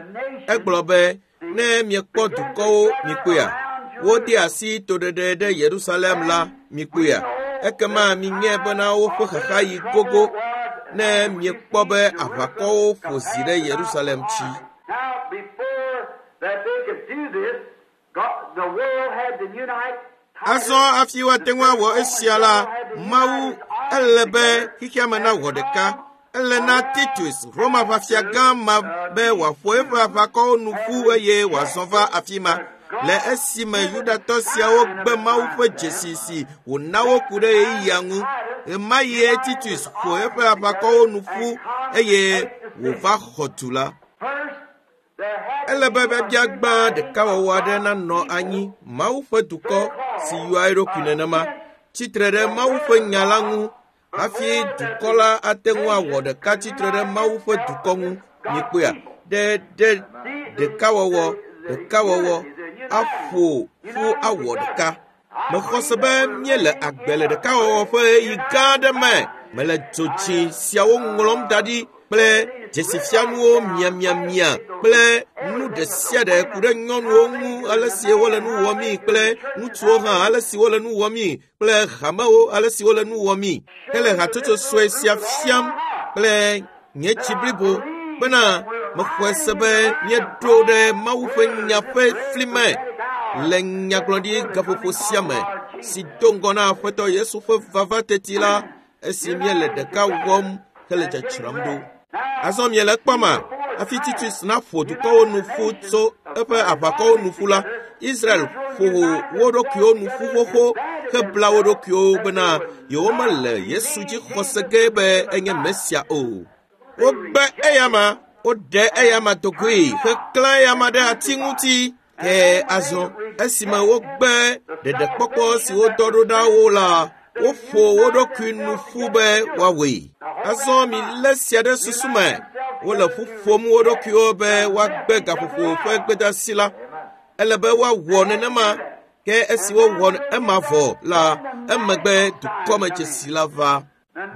egblɔ be, Ne miekpɔ dukɔwo, mikpɔea? Wode asi toɖeɖe ɖe Yerusalem la, mikpɔea? Ekema minyae bena woƒe xaxaɣi gogo ne miekpɔ be aʋakɔwo ƒo zi ɖe Yerusalem dzi. Azɔ hafi woate ŋu awɔ esia la, Mawu ele be xexeame nawɔ ɖeka. Ele na Titus, Roma ʋafiagã ma be wòaƒo eƒe aʋakɔwo nu ƒu eye wòazɔ va afi ma. Le esime Yudatɔ siawo gbe Mawu ƒe dzesi si wòna wo ku ɖe ɣeyiɣia ŋu, ɣemaɣie Titus ƒo eƒe aʋakɔwo nu ƒu eye wòva xɔ du la. Ele be biabia gbã ɖekawɔwɔ aɖe nanɔ anyi Mawu ƒe dukɔ si yɔa eɖokui nenema tsitre ɖe Mawu ƒe nya la ŋu hafi dukɔ la ate ŋu awɔ ɖeka tsitre ɖe Mawu ƒe dukɔ ŋu. Mikpɔea? Ɖe ɖe ɖekawɔwɔ, ɖekawɔwɔ aƒo ƒu awɔ ɖeka. Mexɔ se be míele agbe le ɖekawɔwɔ ƒe ɣeyiɣi gã aɖe me. Mele dzotsi siawo ŋlɔm da ɖi kple dzesifianuwo miamiamia kple nu ɖe sia ɖe ku ɖe nyɔnuwo ŋu ale si wole nu wɔmii kple ŋutsuwo hã ale si wole nu wɔmii kple hamewo ale si wole nu wɔmii hele hatsotso sue sia fiam kple nye tsi blibo bena mexɔe se be míeɖo ɖe Mawu ƒe nya ƒe fli me le nyagblɔɖi gaƒoƒo sia me si do ŋgɔ na Aƒetɔ Yesu ƒe vava teti la esi míele ɖeka wɔm hele dzadzram ɖo. Azɔ miele ekpɔma hafi Titus naƒo dukɔwo nu ƒu tso eƒe aʋakɔwo nu ƒu la, Israel ƒo wo ɖokuiwo nu ƒu xoxo hebla wo ɖokuiwo bena yewomele Yesu dzi xɔse ge be enye Mesia o. Wogbe eyama, woɖe eyama dogoe heklã eyama ɖe ati ŋuti. Ke azɔ esime wogbe ɖeɖekpɔkpɔ si wodɔ ɖo ɖa wo la, woƒo wo ɖokui nu ƒu be woawɔe. Azɔ milé sia ɖe susu me. Wole ƒu ƒom wo ɖokuiwo be woagbe gaƒoƒo ƒe gbedeasi la. Ele be woawɔ nenema ke esi wowɔ ema vɔ la, emegbe dukɔmedzesi la va.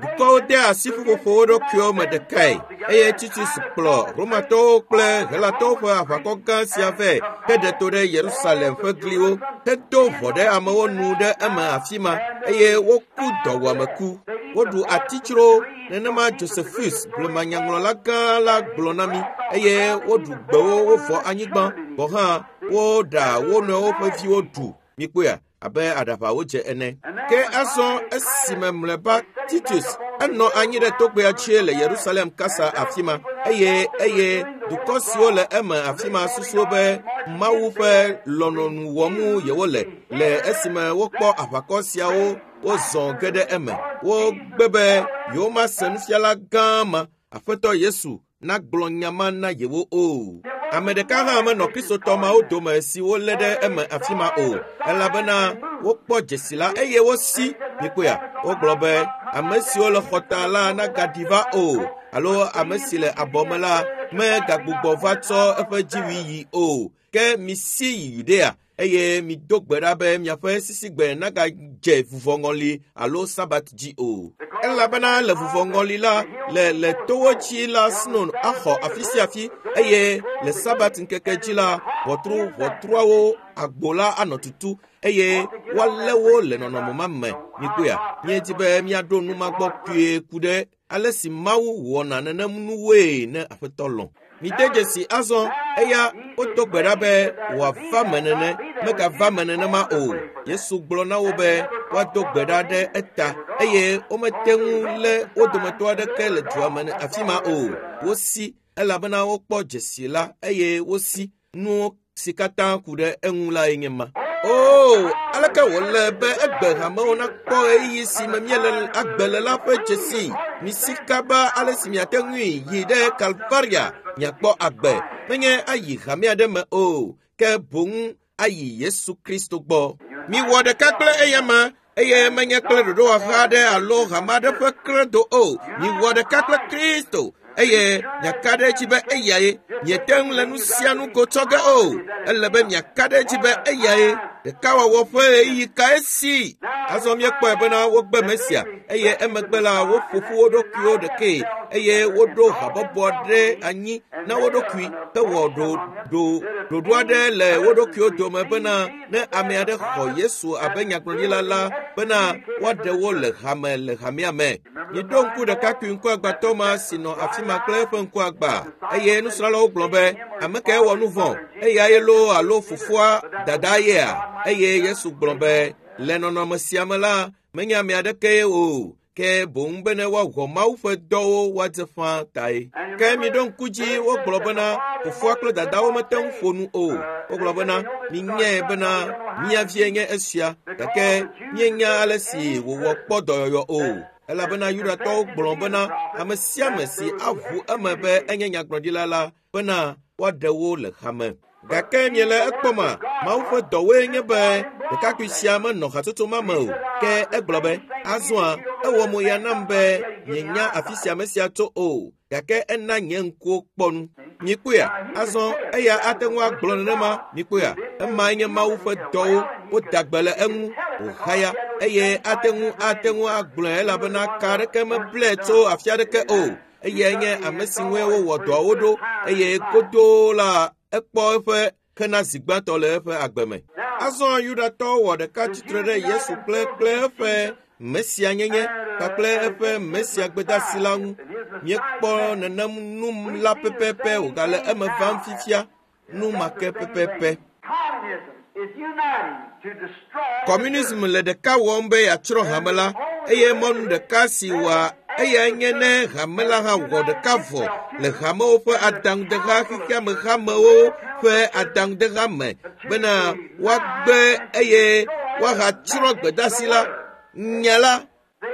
Dukɔwo de asi ƒuƒoƒo wo ɖokuiwo me ɖekae eye Titus kplɔ Romatɔwo kple Helatɔwo ƒe aʋakɔ gã sia vɛ heɖe to ɖe Yerusalem ƒe gliwo hedo ʋɔ ɖe amewo nu ɖe eme afi ma eye woku dɔwuameku. Woɖu atitsro nenema Josephus blemanyaŋlɔla gã la gblɔ na mí eye woɖu gbewo wovɔ anyigba gɔ̃ hã woɖa wo nɔewo ƒe viwo ɖu. Mikpɔea? Abe aɖaʋawo dze ene. Ke azɔ esime mlɔeba Titus enɔ anyi ɖe togbea dzi le Yerusalem kasa afi ma eye eye dukɔ siwo le eme afi ma susuwo be Mawu ƒe lɔlɔ̃nu wɔm yewole le esime wokpɔ aʋakɔ siawo wozɔ ge ɖe eme. Wogbe be yewomase nufiala gã ma, Aƒetɔ Yesu, nagblɔ nya ma na yewo o. Ame ɖeka hã menɔ Kristotɔ mawo dome si wolé ɖe eme afi ma o, elabena wokpɔ dzesi la eye wosi. Mikpɔea? Wogblɔ be ame siwo le xɔta la nagaɖi va o, alo ame si le abɔ me la megagbugbɔ va tsɔ eƒe dziwui yi o. Ke misi yi Yudea eye mido gbe ɖa be miaƒe sisigbe nagadze vuvɔŋɔli alo Sabat dzi o. Elabena le vuvɔŋɔli la, le le towo dzi la sno axɔ afi sia afi eye le Sabat ŋkeke dzi la, ʋɔtru ʋɔtruawo agbo la anɔ tutu eye woalé wo le nɔnɔme ma me. Mikpɔea? Míedi be míaɖo nu ma gbɔ kpuie ku ɖe ale si Mawu wɔna nenem nuwoe ne Aƒetɔ lɔ̃. Mide dzesi azɔ eya wodo gbe ɖa be wòava me nene, megava me nenema o. Yesu gblɔ na wo be woado gbe ɖa ɖe eta eye womete ŋu lé wo dometɔ aɖeke le dua me afi ma o. Wosi elabena wokpɔ dzesi la eye wosi nuwo si katã ku ɖe eŋu lae nye ma. Oo, aleke wòle be egbe hamewo nakpɔ ɣeyiɣi si me míele agbe le la ƒe dzesi. Misi kaba ale si miate ŋui yi ɖe Kalvaria miakpɔ agbe. Menye ayi hame aɖe me o, ke boŋ ayi Yesu Kristo gbɔ. Miwɔ ɖeka kple eyama eye menye kple ɖoɖowɔha aɖe alo hame aɖe ƒe kredo o. Miwɔ ɖeka kple Kristo eye miaka ɖe edzi be eyae. Miete ŋu le nu sia nu go tsɔ ge o. Ele be miaka ɖe edzi be eyae. Ɖekawɔwɔ ƒe ɣeyiɣi kae si? Azɔ míekpɔe bena wogbe Mesia eye emegbe la woƒo ƒu wo ɖokuiwo ɖekae eye woɖo habɔbɔ ɖe anyi na wo ɖokui hewɔ ɖoɖo aɖe le wo ɖokuiwo dome bena ne ame aɖe xɔ Yesu abe nyagblɔɖila la bena woaɖe wo le hame le hamea me. Miɖo ŋku ɖekakpui ŋkuagbãtɔ ma si nɔ afi ma kple eƒe ŋkuagbã eye nusrɔ̃lawo gblɔ be ame kae wɔ nu vɔ̃, eyae loo alo fofoa dada yea? Eye Yesu gblɔ be le nɔnɔme sia me la, menye ame aɖekee o, ke boŋ bene woawɔ Mawu ƒe dɔwo woadze ƒãa tae. Ke miɖo ŋku dzi wogblɔ bena fofoa kple dadawo mete ŋu ƒo nu o. Wogblɔ bena minyae bena mía vie nye esia, gake míenya ale si wòwɔ kpɔ dɔyɔyɔ o. Elabena Yudatɔwo gblɔ bena ame sia ame si aʋu eme be enye nyagblɔɖila la bena woaɖe wo le hame. Gake miele ekpɔma, Mawu ƒe dɔwoe nye be ɖekakpui sia menɔ hatsotso ma me o. Ke egblɔ be, azɔa, ewɔ mo ya nam be mienya afi sia ame sia tso o, gake ena nye ŋkuwo kpɔ nu. Mikpɔea? Azɔ eya ate ŋu agblɔ nenema. Mikpɔea? Emae nye Mawu ƒe dɔwo. Woda gbe le eŋu, wòhaya eye ate ŋu ate ŋu agblɔe elabena ka aɖeke meblae tso afi aɖeke o. Eyae nye ame si ŋue wowɔ dɔawo ɖo eye godoo la ekpɔ eƒe hena zi gbãtɔ le eƒe agbe me. Azɔ Yudatɔwo wɔ ɖeka tsitre ɖe Yesu kple kple eƒe Mesianyenye kpakple eƒe Mesia gbedeasi la ŋu. Míekpɔ nenem nu la pɛpɛpɛ wògale eme vam fifia, nu ma ke pɛpɛpɛ. Kɔmunism le ɖeka wɔm be yeatsrɔ̃ hame la eye mɔnu ɖeka si wɔa eyae nye ne hame la hã wɔ ɖeka vɔ le hamewo ƒe adaŋudeha xexeame hamewo ƒe adaŋudeha me bena woagbe eye woahatsrɔ̃ gbedeasi la. Nya la,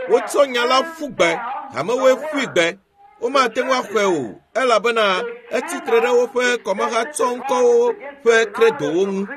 wotsɔ nya la ƒu gbe, hamewoe ƒui gbe. Womate ŋu axɔe o, elabena etsitre ɖe woƒe kɔmahatsɔŋkɔwo ƒe kredowo ŋu.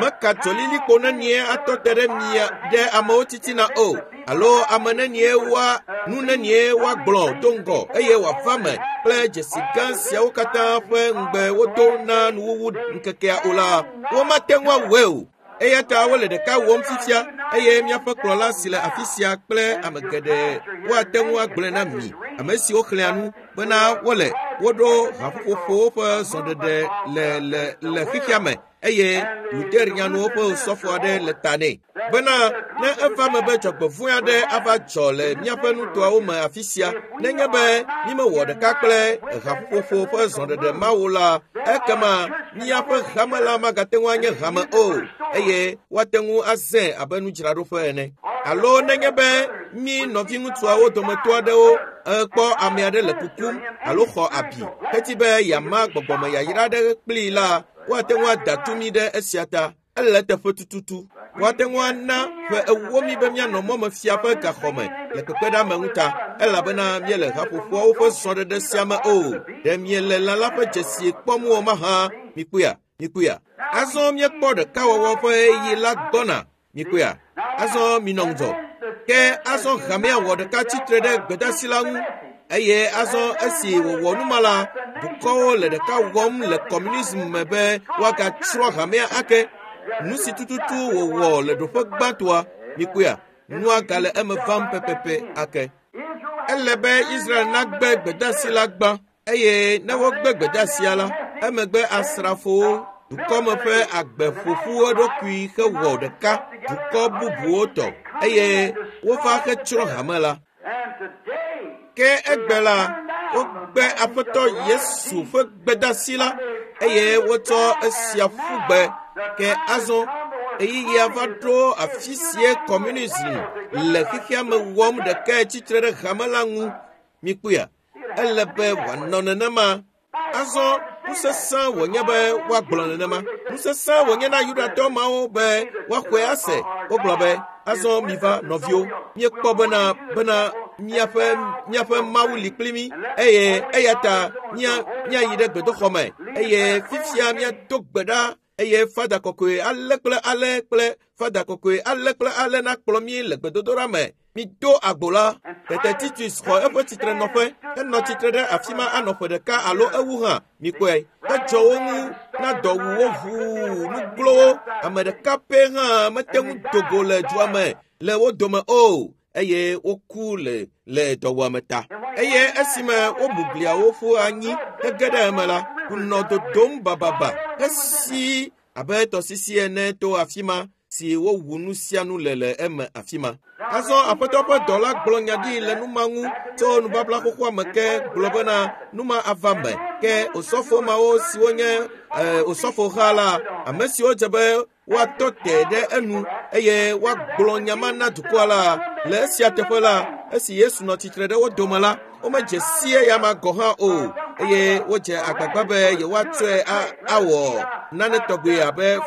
Meka dzolilikpo nenie atɔ te ɖe mia ɖe amewo titina o, alo ame nenie woa nu nenie woagblɔ do ŋgɔ eye wòava me kple dzesi gã siawo katã ƒe ŋugbe wodo na nuwuwu ŋkekea o la, womate ŋu awɔe o. Eya ta wole ɖeka wɔm fifia eye míaƒe kplɔla si le afi sia kple ame geɖe woate ŋu agblɔe na mi, ame siwo xlẽa nu bena wole woɖo haƒoƒoƒowo ƒe zɔɖeɖe le le le xexea me eye Luther nyanuwo ƒe osɔfo aɖe le ta nɛ bena ne eva me be dzɔgbevɔ̃e aɖe ava dzɔ le míaƒe nutoawo me afi sia nenye be mímewɔ ɖeka kple haƒoƒoƒo ƒe zɔɖeɖe mawo la, ekema míaƒe hame la magate ŋu anye hame o eye woate ŋu azãe abe nudzraɖoƒe ene. Alo nenye be mí nɔviŋutsuawo dometɔ aɖewo ekpɔ ame aɖe le kukum alo xɔ abi heti be yeama gbɔgbɔme yayra aɖe kplii la, woate ŋu ada tu mí ɖe esia ta. Ele eteƒe tututu. Woate ŋu ana ƒe ewo mí be míanɔ mɔmefia ƒe gaxɔme le kpekpeɖeameŋu ta, elabena míele haƒoƒoawo ƒe zɔɖeɖe sia me o. Ɖe miele lã la ƒe dzesi kpɔm o mahã? Mikpɔea? Mikpɔea? Azɔ míekpɔ ɖekawɔwɔ ƒe ɣeyiɣi la gbɔna. Mikpɔea? Azɔ minɔ ŋudzɔ. Ke azɔ hamea wɔ ɖeka tsitre ɖe gbedasi la ŋu. Eye azɔ esi wòwɔ nu ma la, dukɔwo le ɖeka wɔm le kɔmunism me be woagatsrɔ̃ hamea ake. Nu si tututu wòwɔ le ɖoƒe gbãtɔa, mikpɔea, nua gale eme vam pɛpɛpɛ ake. Ele be Israel nagbe gbedasi la gbã eye ne wogbe gbedeasia la, emegbe asrafowo, dukɔme ƒe agbe ƒoƒu eɖokui hewɔ ɖeka dukɔ bubuwo tɔ eye wova hetsrɔ̃ hame la. Ke egbe la, wogbe Aƒetɔ Yesu ƒe gbedasi la eye wotsɔ esia ƒu gbe. Ke azɔ ɣeyiɣia va ɖo afi sie kɔmunism le xexea me wɔm ɖekae tsitre ɖe hame la ŋu. Mikpɔea? Ele be wòanɔ nenema. Azɔ nusesẽ wònye be woagblɔ nenema. Nusesẽ wònye na Yudatɔ mawo be woaxɔe ase. Wogblɔ be, azɔ miva nɔviwo, míekpɔ bena bena míaƒe míaƒe Mawu li kpli mí eye eya ta mía míayi ɖe gbedoxɔ me eye fifia míado gbe ɖa eye fada kɔkɔe ale kple ale kple fada kɔkɔe ale kple ale nakplɔ mí le gbedodoɖa me. Mido agbo la. Tete Titus xɔ eƒe tsitrenɔƒe henɔ tsitre ɖe afi ma anɔ ƒe ɖeka alo ewu hã. Mikpɔe, edzɔ wo ŋu na dɔ wu wo ʋuu nu glo wo. Ame ɖeka pɛ hã mete ŋu do go le dua me le wo dome o eye woku le le dɔwuame ta. Eye esime womu gliawo ƒu anyi hege ɖe eme la, ŋu dodom bababa hesi abe tɔsisi ene to afi ma si wowu nu sia nu le le eme afi ma. Azɔ Aƒetɔ ƒe dɔla gblɔ nya ɖi le nu ma ŋu tso nubabla xoxoa me ke gblɔ bena nu ma ava me. Ke osɔfo mawo siwo nye osɔfoha la, ame siwo dze be woatɔ te ɖe enu eye woagblɔ nya ma na dukɔa la, le esia teƒe la, esi Yesu nɔ tsitre ɖe wo dome la, womedze si eya ma gɔ̃ hã o eye wodze agbagba be yewoatsɔe awɔ nane tɔgbe abe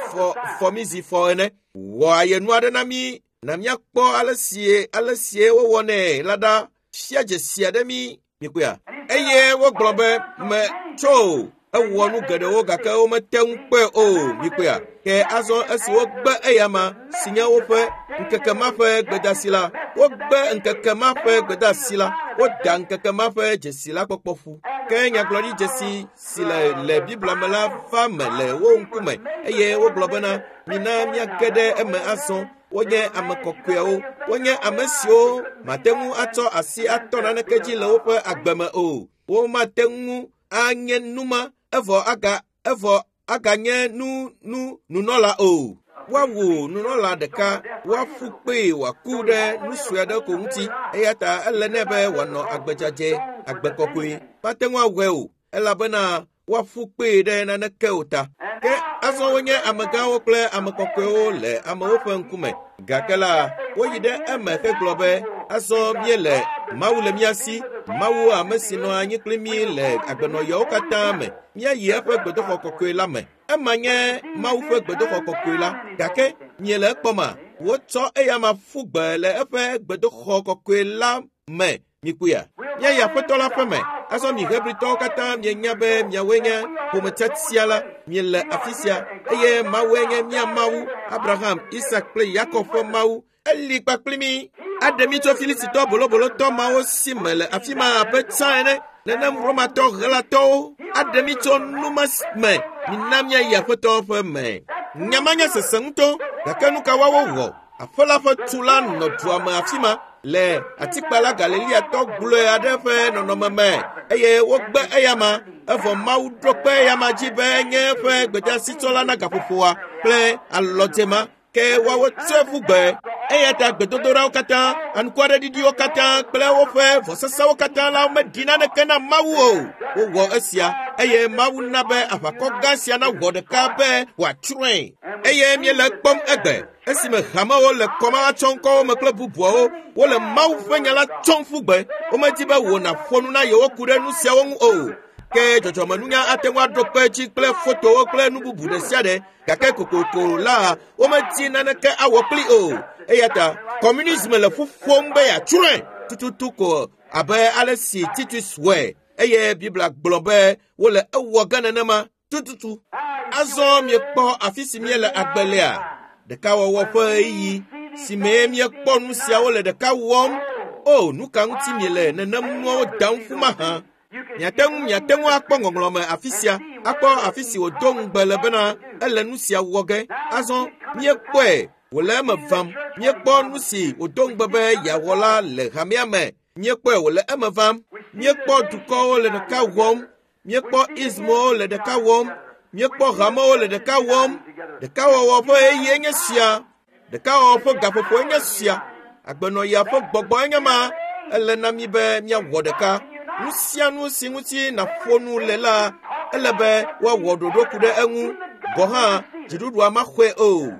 fɔmizi fɔ ene. Wɔ ayenu aɖe na mí na míakpɔ ale sie ale sie wowɔnɛ la ɖa. Fia dzesi aɖe mí. Mikpɔea? Eye wogblɔ be me tso ewɔ nu geɖewo gake womete ŋu kpɔe o. Mikpɔea? Ke azɔ esi wogbe eyama si nye woƒe ŋkeke ma ƒe gbedasi la, wogbe ŋkeke ma ƒe gbedasi la, woda ŋkeke ma ƒe dzesi la kpɔkpɔ ƒu. Ke nyagblɔɖi dzesi si le le Biblia me la va me le wo ŋkume eye wogblɔ bena mina míage ɖe eme azɔ. Wonye ame kɔkɔewo, wonye ame siwo mate ŋu atsɔ asi atɔ naneke dzi le woƒe agbe me o. Womate ŋu anye numa evɔ aga evɔ aganye nu nu nunɔla o. Woawu nunɔla ɖeka, woaƒu kpee wòaku ɖe nu sue aɖe ko ŋuti eya ta ele nɛ be wòanɔ agbe dzadzɛ, agbe kɔkɔe. Mate ŋu awɔe o elabena woaƒu kpee ɖe naneke o ta. Ke azɔ wonye amegãwo kple ame kɔkɔewo le amewo ƒe ŋkume. Gake la, woyi ɖe eme hegblɔ be, azɔ míele Mawu le mía si, Mawu ame si nɔ anyi kpli mí le agbenɔɣiawo katã me. Míayi eƒe gbedoxɔ kɔkɔe la me. Ema nye Mawu ƒe gbedoxɔ kɔkɔe la. Gake miele ekpɔma? Wotsɔ eyama ƒu gbe le eƒe gbedoxɔ kɔkɔe la me. Mikpɔea? Míayi Aƒetɔ la ƒe me. Azɔ mi Hebritɔwo katã mienya be miawoe nye ƒometiatia la. Miele afi sia eye Mawue nye mía Mawu, Abraham, Isak kple Yakob ƒe Mawu. Eli kpakpli mi. Aɖe mi tso Filistitɔ bolobolotɔ mawo si me le afi ma abe tsã ene. Nenem Romatɔ Helatɔwo aɖe mi tso numa me. Mina míayi Aƒetɔ ƒe me. Nya ma nye sese ŋutɔ, gake nu ka woawo wɔ? Aƒe la ƒe tu la nɔ dua me afi ma le atikpala Galileatɔ gblɔe aɖe ƒe nɔnɔme me eye wogbe eyama evɔ Mawu ɖo kpe eyama dzi be nye eƒe gbedeasitsɔla na gaƒoƒoa kple alɔdze ma ke woawo tsɔe ƒu gbe. Eya ta gbedodoɖawo katã, anukwareɖiɖiwo katã kple woƒe vɔsesewo katã la meɖi naneke na Mawu o. Wowɔ esia eye Mawu na be aʋakɔ gã sia nawɔ ɖeka be wòatsrɔ̃e. Eye míele ekpɔm egbe esime hamewo le kɔmahatsɔŋkɔwo me kple bubuawo wole Mawu ƒe nya la tsɔm ƒu gbe. Womedi be wò nàƒo nu na yewo ku ɖe nu siawo ŋu o. Ke dzɔdzɔmenunya ate ŋu aɖo kpe edzi kple fotowo kple nu bubu ɖe sia ɖe gake kokoko la womedi naneke awɔ kpli o. Eya ta kɔmunism le ƒu ƒom be yeatsrɔ̃e tututu ko abe ale si Titus wɔe eye Biblia gblɔ be wole ewɔ ge nenema tututu. Azɔ miekpɔ afi si míele agbe lea? Ɖekawɔwɔ ƒe ɣeyiɣi si mee míekpɔ nu siawo le ɖeka wɔm. O, nu ka ŋuti miele nenem nuawo dam ƒu mahã? Miate ŋu miate ŋu akpɔ ŋɔŋlɔ me afi sia, akpɔ afi si wòdo ŋugbe le bena ele nu sia wɔ ge. Azɔ míekpɔe wòle eme vam. Míekpɔ nu si wòdo ŋugbe be yeawɔ la le hamea me. Míekpɔe wòle eme vam. Míekpɔ dukɔwo le ɖeka wɔm. Míekpɔ ismowo le ɖeka wɔm. Míekpɔ hamewo le ɖeka wɔm. Ɖekawɔwɔ ƒe ɣeyiɣie nye sia. Ɖekawɔwɔ ƒe gaƒoƒoe nye sia. Agbenɔɣia ƒe gbɔgbɔe nye ma. Ele na mi be míawɔ ɖeka. Nu sia nu si ŋuti nàƒo nu le la, ele be woawɔ ɖoɖo ku ɖe eŋu. Gɔ̃ hã dziɖuɖua maxɔe o.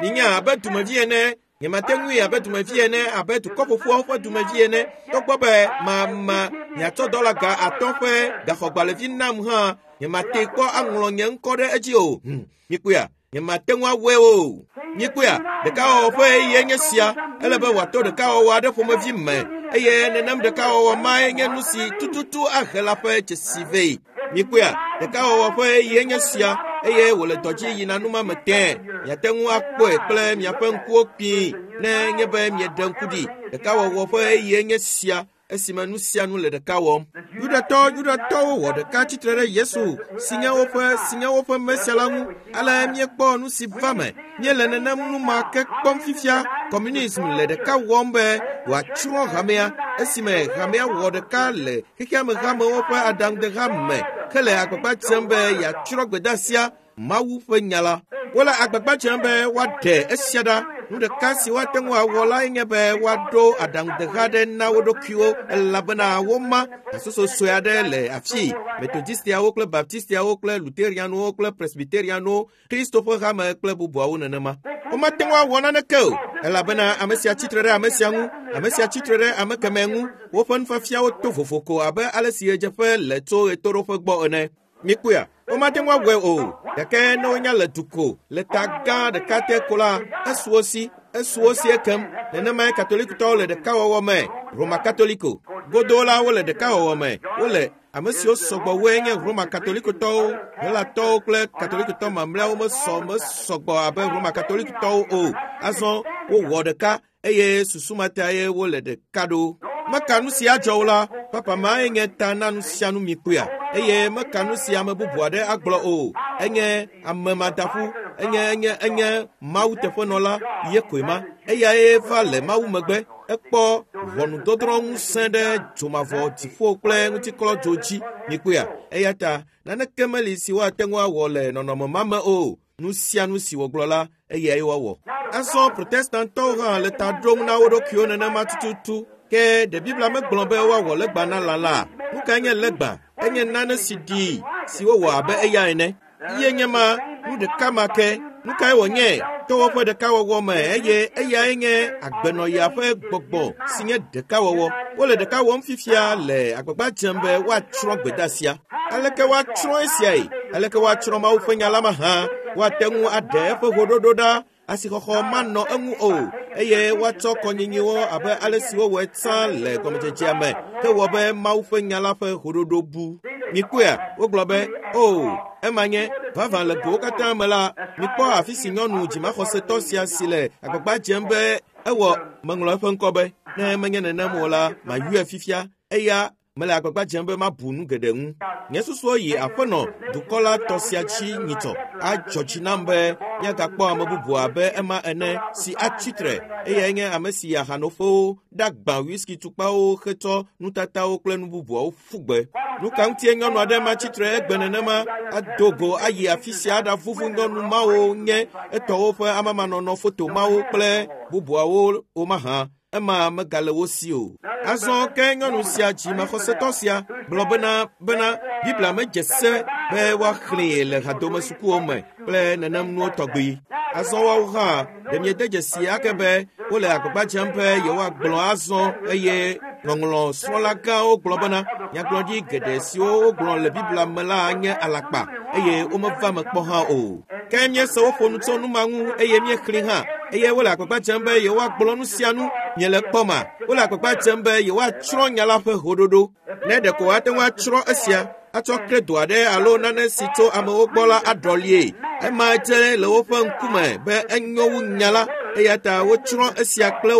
Minya abe dumevi ene, nyemate ŋui abe dumevi ene, abe dukɔ ƒoƒuawo ƒe dumevi ene. Togbɔ be mama miatsɔ dɔla ga atɔ̃ ƒe gaxɔgbalẽvi nam hã, nyemate kpɔ aŋlɔ nye ŋkɔ ɖe edzi o. Mikpɔea? Nyemate ŋu awɔe o. Mikpɔea? Ɖekawɔwɔ ƒe ɣeyiɣie nye sia. Ele be wòato ɖekawɔwɔ aɖe ƒomevi me eye nenem ɖekawɔwɔ mae nye nu si tututu ahe la ƒe dzesi vɛ. Mikpɔea? Ɖekawɔwɔ ƒe ɣeyiɣie nye sia eye wòle dɔ dzi yina numa me tẽe. Miate ŋu akpɔe kple miaƒe ŋkuwo kpii ne nye be mieɖe ŋku ɖi. Ɖekawɔwɔ ƒe ɣeyiɣie nye sia esime nu sia nu le ɖeka wɔm. Yudatɔwo wɔ ɖeka tsitre ɖe Yesu si nye woƒe Mesia la ŋu. Ale míekpɔ nu si va me. Míele nenem nu ma ke kpɔm fifia. Kɔmunism le ɖeka wɔm be wòatsrɔ̃ hamea esime hamea wɔ ɖeka le xexeame hamewo ƒe aɖaŋudeha me hele agbagba dzem be yeatsrɔ̃ gbedeasia Mawu ƒe nya la. Wole agbagba dzem be woaɖe esia ɖa. Nu ɖeka si woate ŋu awɔ lae nye be woaɖo aɖaŋudeha aɖe na wo ɖokuiwo elabena woma hasoso sue aɖe le afii. Metodistiawo kple Baptistiawo kple Luterianwo kple Presbyterianwo, Kristo ƒe hame kple bubuawo nenema. Womate ŋu awɔ naneke o elabena ame sia tsitre ɖe ame sia ŋu, ame sia tsitre ɖe ame kemɛ ŋu. Woƒe nufiafiawo to vovo ko abe ale si ɣedzeƒe le tso ɣetoɖoƒe gbɔ ene. Mikpɔea? Womate ŋu awɔe o. Gake ne wonya le du ko, le ta gã ɖeka te ko la, esu wo si, esu wo si ekem. Nenemae Katolikotɔwo le ɖekawɔwɔ me, Roma Katoliko. Godoo la wole ɖekawɔwɔ me. Wole ame siwo sɔgbɔ woe nye Roma Katolikotɔwo, Helatɔwo kple Katolikotɔ mamlɛawo mesɔgbɔ abe Roma Katolikotɔwo o. Azɔ wowɔ ɖeka eye susu ma tae wole ɖeka ɖo. Meka nu si adzɔ o la, papa mae nye ta na nu sia nu mikpɔea eye meka nu si ame bubu aɖe agblɔ o. Enye ame madaƒu, enye Mawu teƒenɔla ye koe ma. Eyae va le Mawu megbe. Ekpɔ ʋɔnudɔdrɔ̃ ŋusẽ ɖe dzomavɔ dziƒo kple ŋutiklɔdzo dzi mikpɔea. Eya ta naneke meli si woate ŋu awɔ le nɔnɔme ma me o. Nu sia nu si wògblɔ la, eyae woawɔ. Azɔ Protestantɔwo hã le ta ɖom na wo ɖokuiwo nenema tututu. Ke ɖe Biblia megblɔ be woawɔ legba na lã la? Nu kae nye legba? Enye nane si ɖii, si wowɔ abe eya ene. Ye nye ma, nu ɖeka ma ke. Nu kae wònye? Tɔwɔƒe ɖekawɔwɔ me eye eyae nye agbenɔɣia ƒe gbɔgbɔ si nye ɖekawɔwɔ. Wole ɖeka wɔm fifia le agbagba dzem be woatsrɔ̃ gbedeasia. Aleke woatsrɔ̃ esiae? Aleke woatsrɔ̃ Mawu ƒe nya la mahã? Woate ŋu aɖe eƒe hoɖoɖo ɖa. Asixɔxɔ manɔ eŋu o eye woatsɔ kɔnyinyiwo abe ale si wowɔe tsã le gɔmedzedzea me ke wɔ be Mawu ƒe nya la ƒe hoɖoɖo bu. Mikpɔea, wogblɔ be, o, ema nye vavã le gowo katã me la, mikpɔ afi si nyɔnu dzimaxɔsetɔ sia si le agbagba dzem be ewɔ meŋlɔ eƒe ŋkɔ be, ne menye nenem o la, mayɔe fifia. Eya mele agbagba dzem be mabu nu geɖe ŋu. Nye susuwo yi aƒenɔ dukɔ la tɔ sia dzi nyitsɔ. Adzɔ dzi nam be míagakpɔ ame bubu abe ema ene si atsi tre. Eyae nye ame si yi ahanoƒewo, ɖagbã whisky tukpawo hetsɔ nutatawo kple nu bubuawo ƒu gbe. Nu ka ŋutie nyɔnu aɖe matsi tre egbe nenema ado go ayi afi sia aɖavuvu nyɔnu mawo nye etɔwo ƒe amamanɔnɔ foto mawo kple bubuawo womahã? Ema megale wo si o. Azɔ ke nyɔnu sia dzimaxɔsetɔ sia gblɔ bena Biblia medze se be woaxlẽe le hadomesukuwo me kple nenem nuwo tɔgbi. Azɔ woawo hã ɖe miede dzesi ake be wole agbagba dzem be yewoagblɔ azɔ eye ŋɔŋlɔ srɔ̃la gãwo gblɔ bena nyagblɔɖi geɖe siwo wogblɔ le Biblia me la nye alakpa eye womeva me kpɔ hã o. Ke míese woƒo nu tso nu ma ŋu eye míexlẽ hã eye wole agbagba dzem be yewoagblɔ nu sia nu miele kpɔma. Wole agbagba dzem be yewoatsrɔ̃ nya la ƒe hoɖoɖo. Ne ɖeko woate ŋu atsrɔ̃ esia atsɔ kredo aɖe alo nane si tso amewo gbɔ la aɖɔlie. Ema dze le woƒe ŋkume be enyo wu nya la, eya ta wotsrɔ̃ esia kple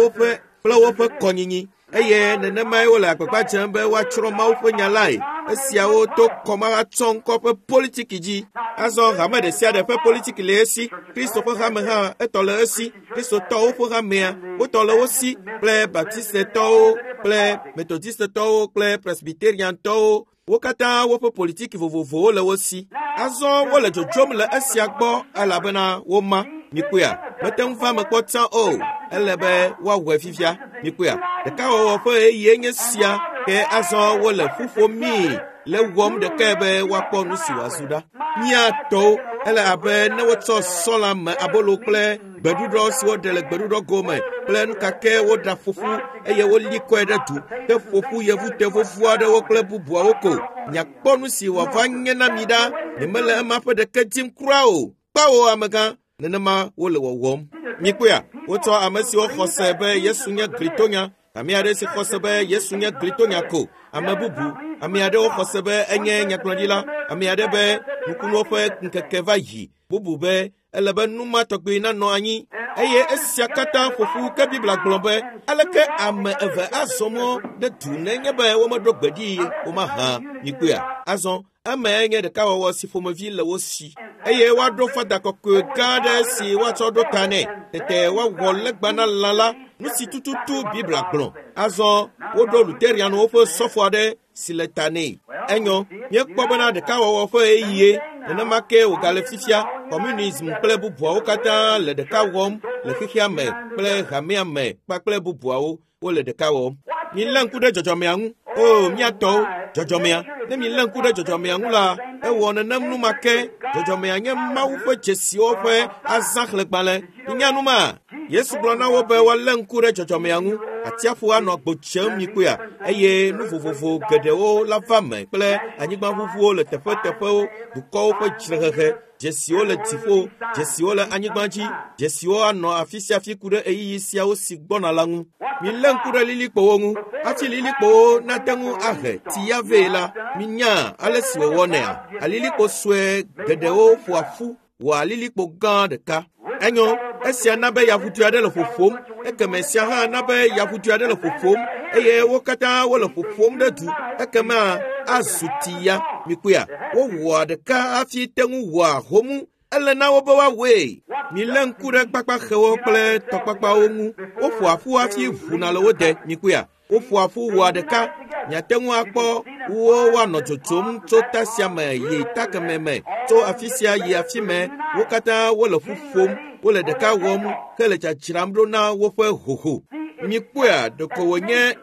woƒe kɔnyinyi. Eye nenemae wole agbagba dzem be woatsrɔ̃ Mawu ƒe nya lae. Esiawo to kɔmahatsɔŋkɔ ƒe politiki dzi. Azɔ hame ɖe sia ɖe ƒe politiki le esi. Kristo ƒe hame hã etɔ le esi. Kristotɔwo ƒe hamea wotɔ le wo si kple Baptistetɔwo kple Methodistetɔwo kple Presbyteriantɔwo. Wo katã woƒe politiki vovovowo le wo si. Azɔ wole dzodzom le esia gbɔ elabena woma. Mikpɔea, mete ŋu va me kpɔ tsã o. Ele be woawɔe fifia. Mikpɔea, ɖekawɔwɔ ƒe ɣeyiɣie nye sia ke azɔ wole ƒu ƒomii le wɔm ɖekae be woakpɔ nu si wòazu ɖa. Mía tɔwo, ele abe ne wotsɔ sɔla me abolo kple gbeɖuɖɔ si woɖe le gbeɖuɖɔ gome kple nu kake woɖa ƒoƒu eye woli kɔe ɖe du ke ƒoƒu yevute vovo aɖewo kple bubuawo ko. Miakpɔ nu si wòava nye na mi ɖa. Nyemele ema ƒe ɖeke dim kura o. Kpawo amegã, nenema wole wɔwɔm. Mikpɔea, wotsɔ ame siwo xɔ se be Yesu nye glitonya, ame aɖe si xɔ se be Yesu nye glitonya ko, ame bubu, ame aɖewo xɔ se be enye nyagblɔɖila, ame aɖe be nukunuwo ƒe ŋkeke va yi, bubu be ele be nu ma tɔgbi nanɔ anyi. Eye esia katã ƒoƒu ke Biblia gblɔ be aleke ame eve azɔ mɔ ɖe du nenye be womeɖo gbe ɖi womahã. Mikpɔea, azɔ emae nye ɖekawɔwɔ si ƒomevi le wo si. Eye woaɖo fada kɔkɔe gã aɖe si woatsɔ ɖo ta nɛ. Tete woawɔ legba na lã la, nu si tututu Biblia gblɔ. Azɔ woɖo Luterianwo ƒe sɔfo aɖe si le ta nɛ. Enyo, míekpɔ bena ɖekawɔwɔ ƒe ɣeyiɣie, nenema ke wògale fifia. Communism kple bubuawo katã le ɖeka wɔm le xexea me kple hamea me kpakple bubuawo wole ɖeka wɔm. Milé ŋku ɖe dzɔdzɔmea ŋu. O, mía tɔwo, dzɔdzɔmea. Ne milé ŋku ɖe dzɔdzɔmea ŋu la, ewɔ nenem nu ma ke. Dzɔdzɔmea nye Mawu ƒe dzesiwo ƒe azãxlẽgbalẽ. Minya nu ma? Yesu gblɔ na wo be woalé ŋku ɖe dzɔdzɔmea ŋu. Atsiaƒu anɔ agbo tsem mikpɔea, eye nu vovovo geɖewo la va me kple anyigbaʋuʋuwo le teƒeteƒewo, dukɔwo ƒe dzrehehe, dzesiwo le dziƒo, dzesiwo le anyigba dzi, dzesiwo anɔ afi sia afi ku ɖe ɣeyiɣi siawo si gbɔna la ŋu. Milé ŋku ɖe lilikpowo ŋu. Hafi lilikpowo nate ŋu ahe tsi ya vɛ la, minya ale si wòwɔnɛa? Alilikpo sue geɖewo ƒoa ƒu wɔa lilikpo gã ɖeka. Enyo, esia na be yaƒudu aɖe le ƒoƒom, ekeme sia hã na be yaƒudu aɖe le ƒoƒom, eye wo katã wole ƒoƒom ɖe du, ekema azu tsi ya. Mikpɔea, wowɔa ɖeka hafi te ŋu wɔa homu. Ele na wo be woawɔe. Milé ŋku ɖe kpakpaxewo kple tɔkpakpawo ŋu. Woƒoa ƒu hafi ʋuna le wo de. Mikpɔea, woƒoa ƒu wɔa ɖeka. Miate ŋu akpɔ wo woanɔ dzodzom tso ta sia me yi ta kemɛ me, tso afi sia yi afi mɛ. Wo katã wole ƒu ƒom, wole ɖeka wɔm hele dzadzram ɖo na woƒe hoho. Mikpɔea, ɖeko wònye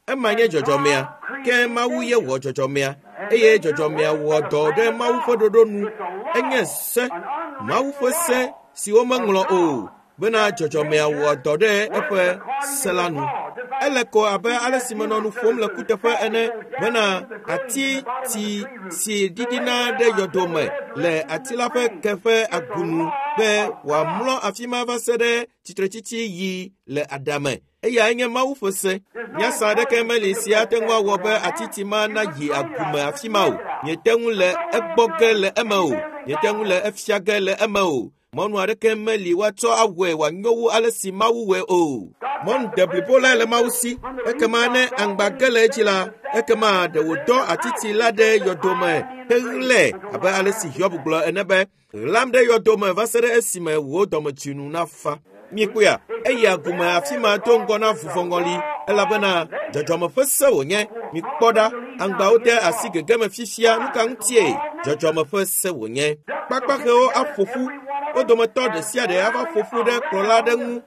ema nye dzɔdzɔmea, ke Mawu ye wɔ dzɔdzɔmea, eye dzɔdzɔmea wɔ dɔ ɖe Mawu ƒe ɖoɖo nu. Enye se, Mawu ƒe se si womeŋlɔ o, bena dzɔdzɔmea wɔ dɔ ɖe eƒe se la nu. Ele ko abe ale si menɔ nu ƒom le kuteƒe ene, bena ati ti si ɖiɖina ɖe yɔdo me le ati la ƒe ke ƒe agunu. Be wòamlɔ afi ma va se ɖe tsitretsitsi yi le adame. Eyae nye Mawu ƒe se. Nyasa aɖeke meli si ate ŋu awɔ be atiti ma nayi agume afi ma o. Miete ŋu le egbɔ ge le eme o. Miete ŋu le efia ge le eme o. Mɔnu aɖeke meli woatsɔ awɔe wòanyo wu ale si Mawu wɔe o. Mɔnu deblibo lae le Mawu si. Ekema ne aŋgba ge le edzi la, ekema ɖe wòdɔ atiti la ɖe yɔdome heɣlae abe ale si Hiob gblɔ ene be, ɣlam ɖe yɔdome va se ɖe esime wò dɔmetsinu nafa. Mikpɔea, eyi agume afi ma do ŋgɔ na vuvɔŋɔli elabena dzɔdzɔme ƒe se wònye. Mikpɔ ɖa, aŋgbawo de asi gege me fifia. Nu ka ŋutie? Dzɔdzɔme ƒe se wònye. Kpakpaxewo aƒo ƒu. Wo dometɔ ɖe sia ɖe ava ƒo ƒu ɖe kplɔla aɖe ŋu.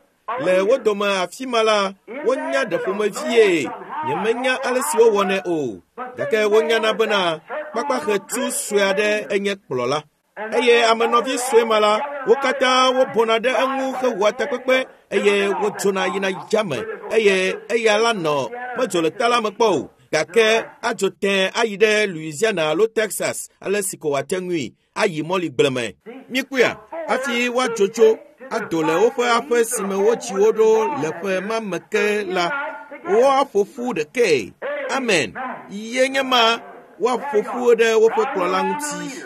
Le wo dome afi ma la, wonya ɖe ƒomevie. Nyemenya ale si wowɔnɛ o, gake wonyana bena kpakpaxetu sue aɖe enye kplɔla. Eye ame nɔvi sue ma la, wo katã wobɔna ɖe eŋu hewɔa takpekpe eye wodzona yina yame eye eya la nɔ medzo le ta la me kpɔ o, gake adzo tẽ ayi ɖe Louisiana alo Texas ale si ko wòate ŋui ayi mɔligble me. Mikpɔea, hafi woadzo tso ado le woƒe aƒe si me wotsi wo ɖo le ƒe ma me ke la, woaƒo ƒu ɖekae. Amen. Ye nye ma woaƒo ƒu ɖe woƒe kplɔla ŋuti.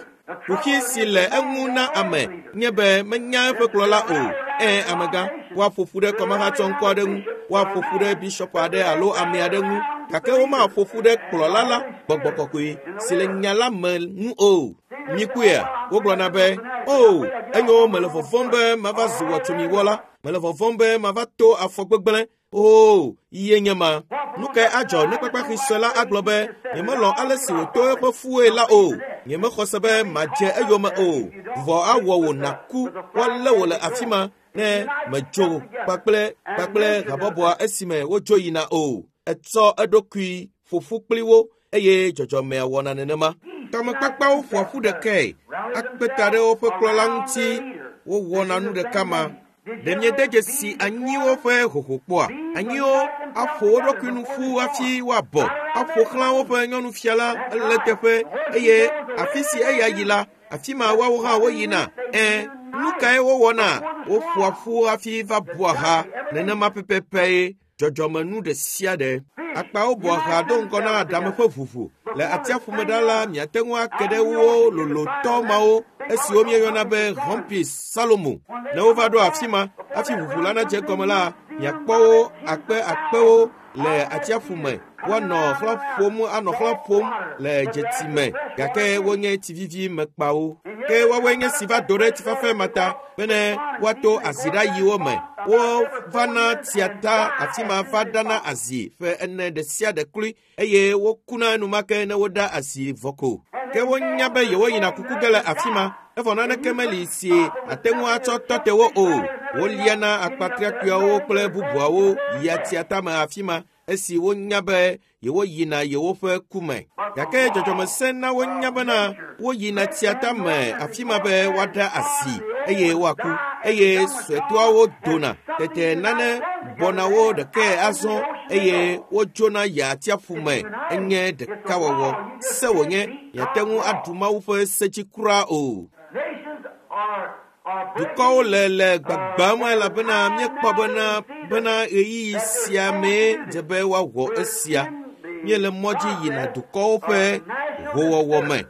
Kuxi si le eŋu na ame nye be menya eƒe kplɔla o. Ẽ, amegã, woaƒo ƒu ɖe kɔmahatsɔŋkɔ aɖe ŋu, woaƒo ƒu ɖe bishɔp aɖe alo ame aɖe ŋu, gake womaƒo ƒu ɖe kplɔla la, gbɔgbɔ kɔkɔe si le nya la me ŋu o. Mikpɔea, wogblɔna be, o, enyo, mele vɔvɔ̃m be mava zu wɔtsomiwɔla, mele vɔvɔ̃m be mava to afɔ gbegblẽ. O, ye nye ma. Nu kae adzɔ ne kpakpaxi sue la agblɔ be, nyemelɔ̃ ale si wòto eƒe fuwoe la o. Nyemexɔ se be madze eyome o. Vuvɔ awɔ wò nàku, woalé wò le afi ma ne medzo kpakple kpakple habɔbɔa esime wodzo yina o. Etsɔ eɖokui ƒo ƒu kpli wo eye dzɔdzɔmea wɔna nenema. Tɔmekpakpawo ƒoa ƒu ɖekae akpe ta ɖe woƒe kplɔla ŋuti wowɔna nu ɖeka ma. Ɖe miede dzesi anyiwo ƒe hoho kpɔa? Anyiwo aƒo wo ɖokui nu ƒu hafi woabɔ, aƒo xlã woƒe nyɔnufia la le teƒe eye afi si eya yi la, afi ma woawo hã woyina. Ẽ, nu kae wowɔna? Woƒoa ƒu hafi va bua ha. Nenema pɛpɛpɛe dzɔdzɔmenu ɖe sia ɖe. Akpawo bua ha do ŋgɔ na aɖame ƒe ʋuʋu. Le atsiaƒu me ɖa la, miate ŋu ake ɖe wo lolotɔ mawo esiwo míeyɔna be Humpis Salomo. Ne wova ɖo afi ma, hafi ʋuʋu la nadze egɔme la, miakpɔ wo akpe akpewo le atsiaƒu me. Woanɔ xlã ƒom, anɔ xlã ƒom le dzeti me, gake wonye tsivivi me kpawo. Ke woawoe nye si va do ɖe tsifafa ma ta bene woato azi ɖe ayiwo me. Wovana tsia ta afi ma va ɖana azi ƒe ene ɖe sia ɖe kloe eye wokuna enumake ne woɖa asi vɔ ko. Ke wonya be yewoyina kuku ge le afi ma, evɔ naneke meli si ate ŋu atsɔ tɔ te wo o. Woliana akpatriakpuiawo kple bubuawo yia tsia tame afi ma esi wonya be yewoyina yewoƒe ku me. Gake dzɔdzɔmese na wonya bena woyina tsia tame afi ma be woaɖa asi eye woaku eye suetɔawo dona. Tete nane bɔna wo ɖekae azɔ eye wodzona yia atsiaƒu me. Enye ɖekawɔwɔ. Se wònye, miate ŋu aɖu Mawu ƒe se dzi kura o. Dukɔwo le le gbagbam elabena míekpɔ bena bena ɣeyiɣi sia mee dze be woawɔ esia. Míele mɔ dzi yina dukɔwo ƒe howɔwɔ me.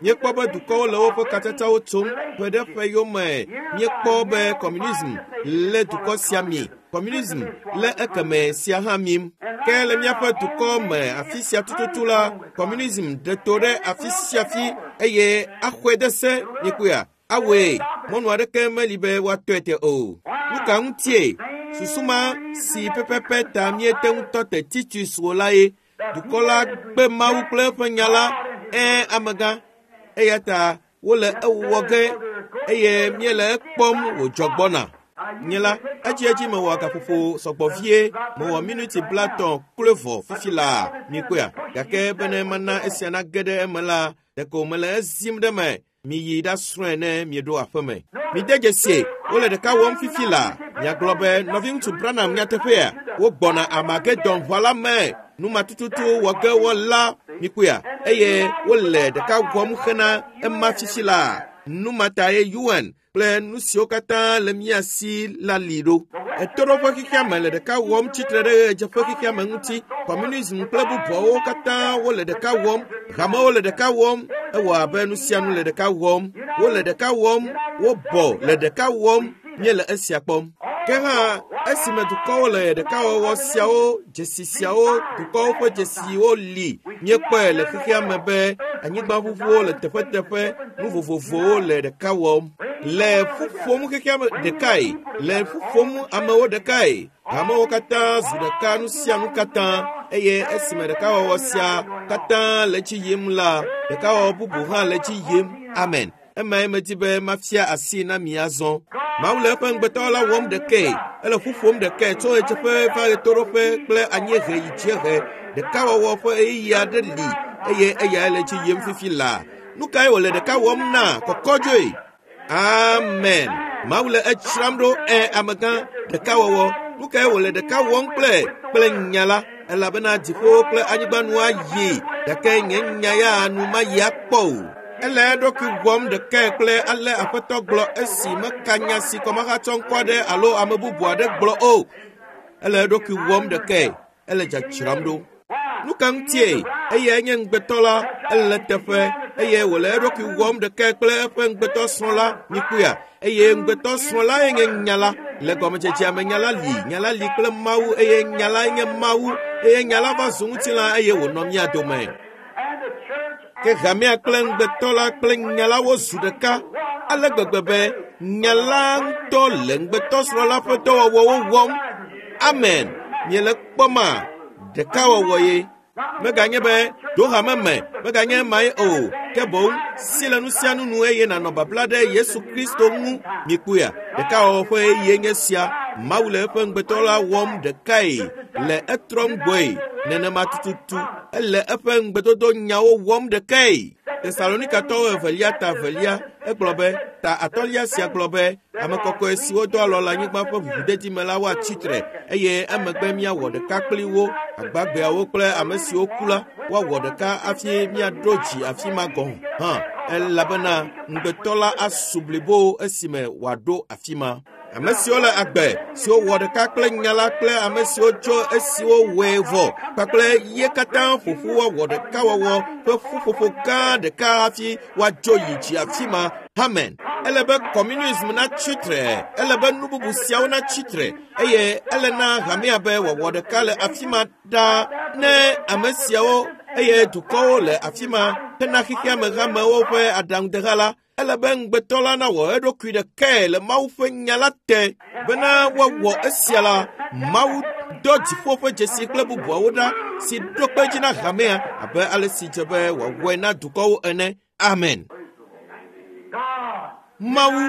Míekpɔ be dukɔwo le woƒe katsatsawo tsom ƒe ɖe ƒe yome. Míekpɔ be communism lé dukɔ sia mi. Communism lé ekeme sia hã mim. Ke le míaƒe dukɔ me afi sia tututu la, communism ɖe to ɖe afi sia fi eye axɔe de se. Míekpɔea? Awɔe, mɔnu aɖeke meli be woatɔe te o. Nu ka ŋutie? Susu ma si pɛpɛpɛ ta míete ŋu tɔ te Titus o la ye. Dukɔ la gbe Mawu kple eƒe nya la. Ẽ, amegã. Eya ta wole ewɔ ge eye míele ekpɔm wòdzɔ gbɔna. Nye la, edziedzi mewɔ gaƒoƒo sɔgbɔ vie, mewɔ minuti 30 kloe vɔ fifi laa, mikpɔea? Gake bene mana esia nage ɖe eme la, ɖeko mele ezim ɖe me. Miyi ɖasrɔ̃e ne mieɖo aƒeme. Mide dzesie, wole ɖeka wɔm fifi laa. Miagblɔ be nɔviŋutsu Branham nyateƒea, wogbɔna Armageddon ʋa la me. Nu ma tututu wɔ ge wɔla, mikpɔea? Eye wole ɖeka wɔm hena ema fifi laa. Nu ma tae UN kple nu siwo katã le mía si la li ɖo. Ɣetoɖoƒe xexeame le ɖeka wɔm tsitre ɖe ɣedzeƒe xexeame ŋuti. Kɔmunism kple bubuawo katã wole ɖeka wɔm. Hamewo le ɖeka wɔm. Ewɔ abe nu sia nu le ɖeka wɔm. Wole ɖeka wɔm. Wobɔ le ɖeka wɔm. Míele esia kpɔm. Ke hã esime dukɔwo le ɖekawɔwɔ siawo, dzesi siawo, dukɔwo ƒe dzesiwo li, míekpɔe le xexea me be anyigbaʋuʋuwo le teƒeteƒe, nu vovovowo le ɖeka wɔm. Le ƒu ƒom xexea me ɖekae, le ƒu ƒom amewo ɖekae. Hamewo katã zu ɖeka nu sia nu katã eye esime ɖekawɔwɔ sia katã le dzi yim la, ɖekawɔwɔ bubu hã le dzi yim. Amen. Emae medi be mafia asi na mi azɔ. Mawu le eƒe ŋugbetɔwo la wɔm ɖekae. Ele ƒu ƒom ɖekae tso ɣedzeƒe va ɣetoɖoƒe kple anyiehe yi dziehe. Ɖekawɔwɔ ƒe ɣeyiɣi aɖe li eye eyae le dzi yim fifi laa. Nu kae wòle ɖeka wɔm na? Kɔkɔdzoe. Amen. Mawu le edzram ɖo ɛ amegã ɖekawɔwɔ. Nu kae wòle ɖeka wɔm kple kple nya la? Elabena dziƒowo kple anyigba nu ayi gake nye nya ya nu mayi akpɔ o. Ele eɖokui wɔm ɖekae kple ale Aƒetɔ gblɔ esi meka nya si kɔmahatsɔ ŋkɔ aɖe alo ame bubu aɖe gblɔ o. Ele eɖokui wɔm ɖekae. Ele dzadzram ɖo. Nu ka ŋutie? Eyae nye ŋugbetɔ la, ele teƒe eye wòle eɖokui wɔm ɖekae kple eƒe ŋugbetɔ srɔ̃ la. Mikpɔea? Eye ŋugbetɔ srɔ̃ lae nye nya la. Le gɔmedzedzea me nya la li, nya la li kple Mawu eye nya lae nye Mawu eye nya la va zu ŋutilã eye wònɔ mía dome. Ke hamea kple ŋugbetɔ la kple nya la wozu ɖeka ale gbegbe be nya la ŋutɔ le ŋugbetɔ srɔ̃ la ƒe dɔwɔwɔwo wɔm. Amen. Miele kpɔma ɖekawɔwɔ ye. Meganye be ɖo hame me, meganye emae o. Ke boŋ si le nu sia nu nu eye nànɔ babla ɖe Yesu Kristo ŋu. Mikpɔea, ɖekawɔwɔ ƒe ɣeyiɣie nye sia. Mawu le eƒe ŋugbetɔ la wɔm ɖekae le etrɔm gbɔe. Nenema tututu ele eƒe ŋugbedodo nyawo wɔm ɖekae. Tesalonikatɔwo evelia ta evelia egblɔ be ta atɔ̃lia sia gblɔ be ame kɔkɔe siwo do alɔ le anyigba ƒe ʋuʋudedi me la woatsi tre eye emegbe míawɔ ɖeka kpli wo agbagbeawo kple ame siwo ku la woawɔ ɖeka hafi míaɖo dzi afi ma gɔ̃ hã elabena ŋugbetɔ la asu blibo esime wòaɖo afi ma. Ame siwo le agbe, siwo wɔ ɖeka kple nya la kple ame siwo tso esiwo wɔe vɔ kpakple ye katã ƒoƒu woawɔ ɖekawɔwɔ ƒe ƒuƒoƒo gã ɖeka hafi woadzo yi dzi afi ma. Amen. Ele be kɔmunism natsi tre, ele be nu bubu siawo natsi tre eye ele na hamea be wòawɔ ɖeka le afi ma ɖaa ne ame siawo eye dukɔwo le afi ma hena xexea me hamewo ƒe aɖaŋudeha la. Ele be ŋugbetɔ la nawɔ eɖokui ɖekae le Mawu ƒe nya la te bena woawɔ esia la, Mawu dɔ dziƒo ƒe dzesi kple bubuawo ɖa si ɖo kpe dzi na hamea abe ale si dze be wòawɔe na dukɔwo ene. Amen. Mawu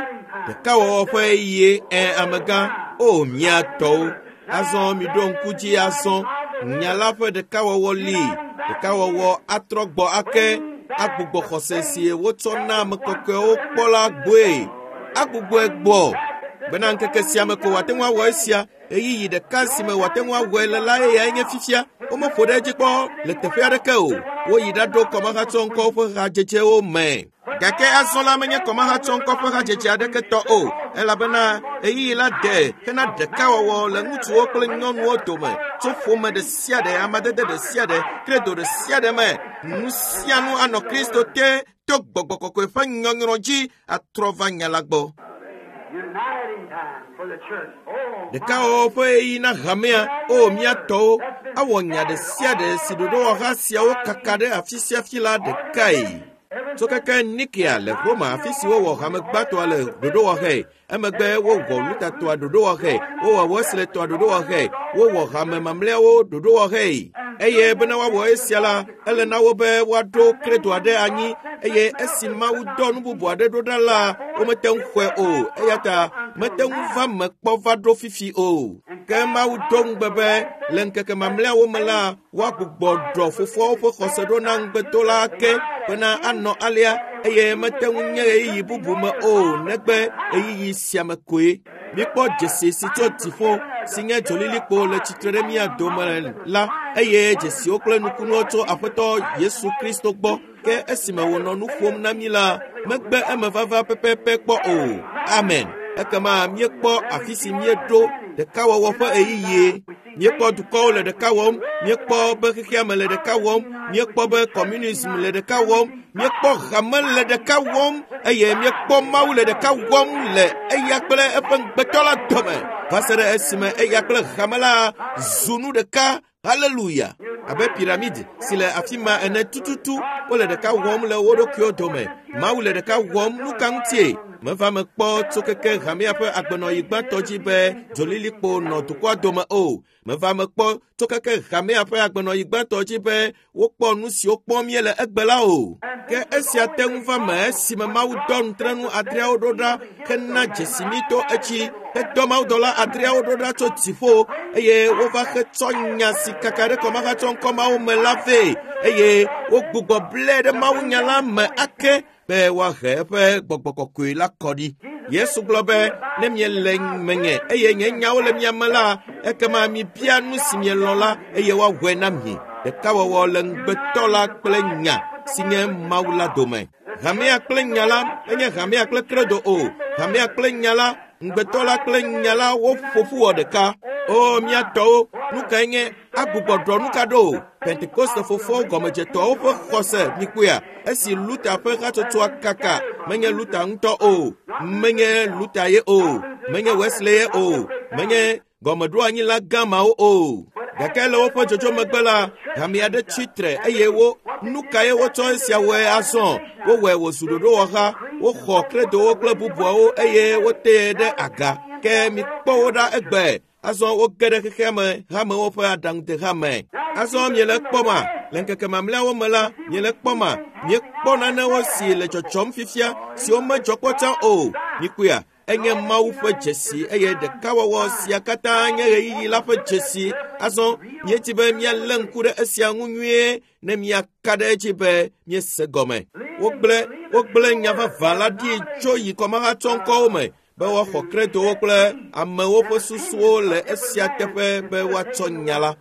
ɖekawɔwɔ ƒe ɣeyiɣie ɛ amegã o mía tɔwo. Azɔ miɖo ŋku dzi azɔ nya la ƒe ɖekawɔwɔ li. Ɖekawɔwɔ atrɔ gbɔ ake agbugbɔ xɔse si wotsɔ na ame kɔkɔewo kpɔ la gbɔe. Agbugbɔe gbɔ bena ŋkeke sia me ko wòate ŋu awɔ esia. Ɣeyiɣi ɖeka si me wòate ŋu awɔe le la eyae nye fifia. Womeƒo ɖe edzi kpɔ le teƒe aɖeke o. Woyi ɖaɖo kɔmahatsɔŋkɔwo ƒe hadzedzewo me. Gake azɔ la menye kɔmahatsɔŋkɔ ƒe hadzedze aɖeke tɔ o elabena ɣeyiɣi la de hena ɖekawɔwɔ le ŋutsuwo kple nyɔnuwo dome tso ƒome ɖe sia ɖe, amadede ɖe sia ɖe, kredo ɖe sia ɖe me. Nu sia nu anɔ Kristo te to gbɔgbɔ kɔkɔe ƒe nyɔnyrɔ dzi atrɔ va nya la gbɔ. Uniting time for the church. Oh, my. Ɖekawɔwɔ ƒe ɣeyiɣi na hamea, o mía tɔwo, awɔ nya ɖe sia ɖe si ɖoɖowɔha siawo kaka ɖe afi sia afi la ɖekae. Tso keke Nikea le Roma afi si wowɔ hame gbãtɔa le ɖoɖowɔɣe, emegbe wowɔ Lutatɔa ɖoɖowɔɣe, wowɔ Wesleytɔa ɖoɖowɔɣe, wowɔ hame mamlɛawo ɖoɖowɔɣe. Eye bena woawɔ esia la, ele na wo be woaɖo kredo aɖe anyi eye esi Mawu dɔ nu bubu aɖe ɖo ɖa la, womete ŋu xɔe o. Eya ta mete ŋu va me kpɔ va ɖo fifi o. Ke Mawu do ŋugbe be le ŋkeke mamlɛawo me la, woagbugbɔ ɖɔ fofoawo ƒe xɔse ɖo na ŋugbedola ake bena anɔ alea eye mete ŋu nye ɣeyiɣi bubu me o negbe ɣeyiɣi sia me koe. Mikpɔ dzesi si tso dziƒo si nye dzolilikpo le tsitre ɖe mía dome la eye dzesiwo kple nukunuwo tso Aƒetɔ Yesu Kristo gbɔ. Ke esime wònɔ nu ƒom na mí la, megbe emevava pɛpɛpɛ kpɔ o. Amen. Ekema míekpɔ afi si míeɖo ɖekawɔwɔ ƒe ɣeyiɣie. Míekpɔ dukɔwo le ɖeka wɔm, míekpɔ be xexea me le ɖeka wɔm, míekpɔ be communism le ɖeka wɔm, míekpɔ hame le ɖeka wɔm eye míekpɔ Mawu le ɖeka wɔm le eya kple eƒe ŋugbetɔ la dome va se ɖe esime eya kple hame la zu nu ɖeka. Haleluya! Abe piramidi si le afi ma ene tututu, wole ɖeka wɔm le wo ɖokuiwo dome. Mawu le ɖeka wɔm. Nu ka ŋutie? Meva me kpɔ tso keke hamea ƒe agbenɔɣi gbãtɔ dzi be dzolilikpo nɔ dukɔa dome o. Meva me kpɔ tso keke hamea ƒe agbenɔɣi gbãtɔ dzi be wokpɔ nu siwo kpɔm míele egbe la o. Ke esia te ŋu va me esime Mawu dɔ nutrenu adreawo ɖo ɖa hena dzesi mí to etsi hedɔ mawudɔla adreawo ɖo ɖa tso dziƒo eye wova hetsɔ nya si kaka ɖe kɔmahatsɔ ŋkɔmawo me la vɛ eye wogbugbɔ blɛ ɖe mawunya la me ake be woahe eƒe gbɔgbɔ kɔkɔe la kɔ ɖi. Yesu gblɔ be ne miele menye eye nye nyawo le mia me la, ekema mibia nu si mielɔ̃ la eye woawɔe na mi. Ɖekawɔwɔ le ŋugbetɔ la kple nya si nye Mawu la dome. Hamea kple nya la menye hamea kple kredo o. Hamea kple nya la, ŋugbetɔ la kple nya la woƒo ƒu wɔ ɖeka. O mía tɔwo, nu kae nye agbugbɔ ɖɔ nu ka ɖo? Pentekoste fofoawo gɔmedzetɔawo ƒe xɔse mikpɔea? Esi Luther ƒe hatsotsoa kaka, menye Luther ŋutɔ o, menye Luther ye o, menye Wesley ye o, menye gɔmeɖoanyila gã mawo o. Gake le woƒe dzodzo megbe la, hame aɖe tsi tre eye wo nu kae wotsɔ esia wɔe azɔ? Wowɔe wòzu ɖoɖowɔha, woxɔ kredowo kple bubuawo eye wotee ɖe aga. Ke mikpɔ wo ɖa egbe. Azɔ woge ɖe xexea me hamewo ƒe aɖaŋudeha me. Azɔ miele kpɔma le ŋkeke mamlɛawo me la, miele kpɔma miekpɔ nanewo si le dzɔdzɔm fifia siwo medzɔ kpɔ tsã o. Mikpɔea? Enye Mawu ƒe dzesi eye ɖekawɔwɔ sia katã nye ɣeyiɣi la ƒe dzesi. Azɔ míedi be míalé ŋku ɖe esia ŋu nyuie ne míaka ɖe edzi be míese gɔme. Wogblẽ nya vavã la ɖi tso yi kɔmahatsɔŋkɔwo me be woaxɔ kredowo kple amewo ƒe susuwo le esia teƒe be woatsɔ nya la.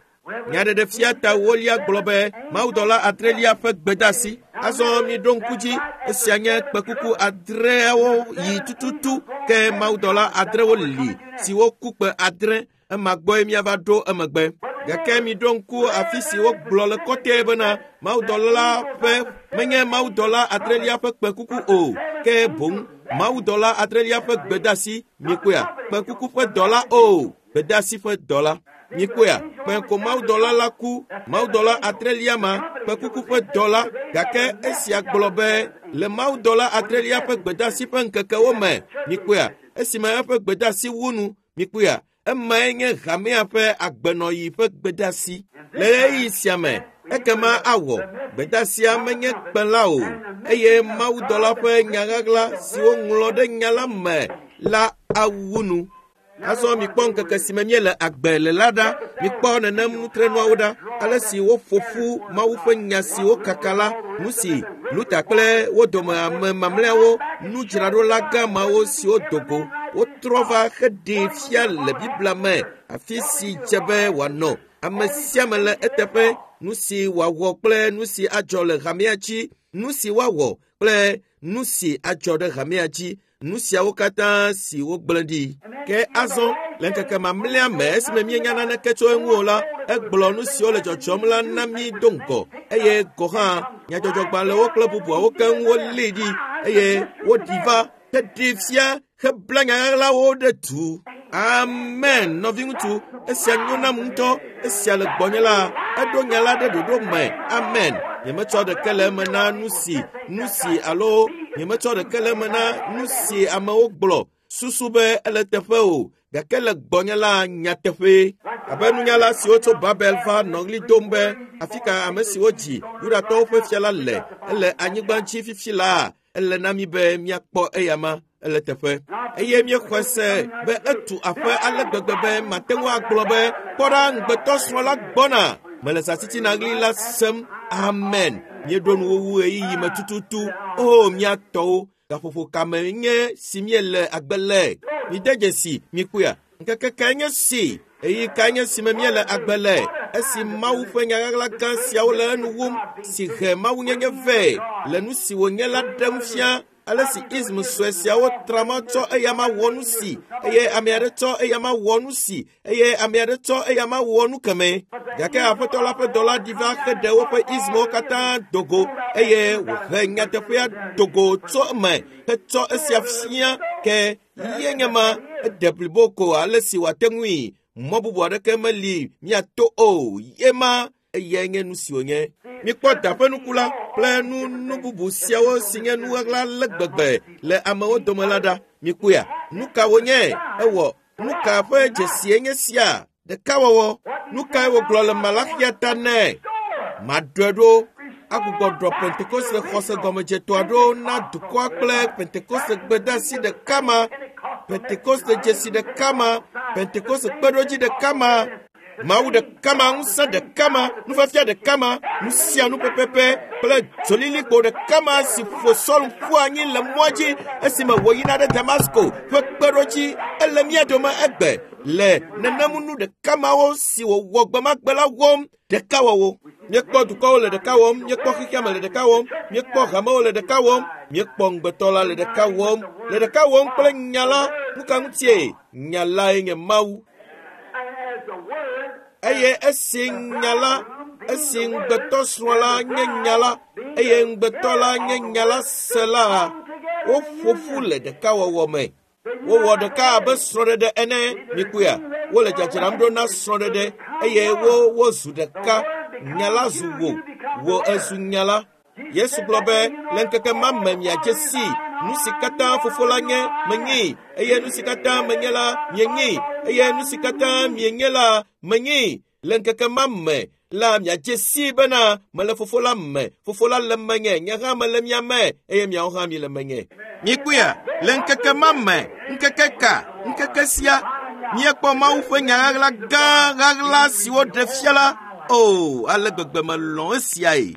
Nyaɖeɖefia ta wolia gblɔ be mawudɔla adrelia ƒe gbedeasi. Azɔ miɖo ŋku dzi, esia nye kpekuku adreawo yi tututu ke mawudɔla adrewo li siwo ku kpe adre. Ema gbɔe míava ɖo emegbe. Gake miɖo ŋku afi si wogblɔ le kɔtɛe bena mawudɔla ƒe menye mawudɔla adrelia ƒe kpekuku o, ke boŋ mawudɔla adrelia ƒe gbedeasi. Mikpɔea? Kpekuku ƒe dɔla o, gbedeasi ƒe dɔla. Mikpɔea? Kpẽ ko mawudɔla la ku, mawudɔla adrelia ma, kpekuku ƒe dɔla. Gake esia gblɔ be le mawudɔla adrelia ƒe gbedeasi ƒe ŋkekewo me, mikpɔea? Esime eƒe gbedeasi wu nu, mikpɔea? Emae nye hamea ƒe agbenɔɣi ƒe gbedeasi. Le ɣeyiɣi sia me, ekema awɔ gbedeasia menye kpẽ la o, eye mawudɔla ƒe nyaɣaɣla si woŋlɔ ɖe nya la me la awu nu. Azɔ mikpɔ ŋkeke si me míele agbe le la ɖa. Mikpɔ nenem nutrenuawo ɖa, ale si woƒo ƒu Mawu ƒe nya si wokaka la, nu si Luther kple wo dome ame mamlɛawo nudzraɖola gã mawo siwo do go wotrɔ va heɖee fia le Biblia me afi si dze be wòanɔ. Ame sia ame le eteƒe, nu si wòawɔ kple nu si adzɔ le hamea dzi, nu si woawɔ kple nu si adzɔ ɖe hamea dzi, nu siawo katã si wogblẽ ɖi. Ke azɔ le ŋkeke mamlɛa me esime míenya naneke tso eŋu o la, egblɔ nu siwo le dzɔdzɔm la na mí do ŋgɔ eye gɔ hã nyadzɔdzɔgbalẽwo kple bubuawo keŋ wolée ɖi eye woɖi va heɖee fia hebla nyaɣaɣlawo ɖe du. Amen, nɔviŋutsu, esia nyo nam ŋutɔ. Esia le gbɔnye la, eɖo nya la ɖe ɖoɖo me. Amen. Nyemetsɔ ɖeke le eme na nu si alo nyemetsɔ ɖeke le eme na nu si amewo gblɔ susu be ele teƒe o, gake le gbɔnye la nyateƒee. Abe nunyala siwo tso Babel va nɔ ɣli dom be afi ka ame siwo dzi Yudatɔwo ƒe fia la le, ele anyigba dzi fifi laa, ele na mí be míakpɔ eyama ele teƒe. Eye míexɔe se be etu aƒe ale gbegbe be mate ŋu agblɔ be kpɔ ɖa ŋugbetɔsrɔ̃ la gbɔna. Mele zãtitina ɣli la sem. Amen. Míeɖo nuwuwu ɣeyiɣi me tututu. O mía tɔwo, gaƒoƒo kame nye si míele agbe le. Mide dzesi, mikpɔea? Ŋkeke kae nye si? Ɣeyiɣi kae nye si me míele agbe le? Esi Mawu ƒe nyaɣaɣla gã siawo le enu wum, si he mawunyenye vɛ le nu si wònye la ɖem fia. Ale si ism sue siawo trama tsɔ eyama wɔ nu si eye ame aɖe tsɔ eyama wɔ nu si eye ame aɖe tsɔ eyama wɔ nu keme. Gake aƒetɔ la ƒe dɔla ɖi va heɖe woƒe ismwo katã dogo eye wòhe nyateƒea dogo tso eme hetsɔ esia fia ke ye nye ma ede blibo ko ale si wòate ŋui. Mɔ bubu aɖeke meli míato o. Ye ma eyae nye nu si wònye. Mikpɔ da ƒe nuku la kple nu bubu siawo si nye nuɣaɣla le gbegbe le amewo dome la ɖa. Mikpɔea? Nu ka wònye? Ewɔ nu ka ƒe dzesie nye sia? Ɖekawɔwɔ. Nu kae wògblɔ le Malaxia ta nɛ? Maɖɔe ɖo agbugbɔ ɖɔ Pentekoste xɔse gɔmedzetɔa ɖo na dukɔa kple Pentekoste gbedeasi ɖeka ma, Pentekoste dzesi ɖeka ma, Pentekoste kpeɖodzi ɖeka ma, Mawu ɖeka ma, ŋusẽ ɖeka ma, nufiafia ɖeka ma, nu sia nu pɛpɛpɛ kple dzolilikpo ɖeka ma si ƒo Saul ƒu anyi le mɔa dzi esime wòyina ɖe Damasko ƒe kpeɖodzi ele mía dome egbe le nenemu nu ɖeka mawo si wòwɔ gbemagbe la wɔm ɖekawɔwɔ. Míekpɔ dukɔwo le ɖeka wɔm, míekpɔ xexeame le ɖeka wɔm, míekpɔ hamewo le ɖeka wɔm, míekpɔ ŋugbetɔ la le ɖeka wɔm, le ɖeka wɔm kple nya la. Nu ka ŋutie? Nya lae nye Mawu. Eye esi nya la, esi ŋugbetɔ srɔ̃ la nye nya la, eye ŋugbetɔ la nye nya la se la, woƒo ƒu le ɖekawɔwɔ me. Wowɔ ɖeka abe srɔ̃ɖeɖe ene. Mikpɔea? Wole dzadzram ɖo na srɔ̃ɖeɖe eye wozu ɖeka. Nya la zu wò, wò ezu nya la. Yesu gblɔ be le ŋkeke ma me miadze sii nu si katã fofo la nye menyee eye nu si katã menye la mienye eye nu si katã mienye la menyee. Le ŋkeke ma me la miadze sii bena mele fofo la me, fofo la le menye, nye hã mele mia me eye miawo hã miele menye. Mikpɔea? Le ŋkeke ma me, ŋkeke ka? Ŋkeke sia míekpɔ Mawu ƒe nya ɣaɣla gã ɣaɣla si woɖe fia la. O, ale gbegbe melɔ̃ esiae.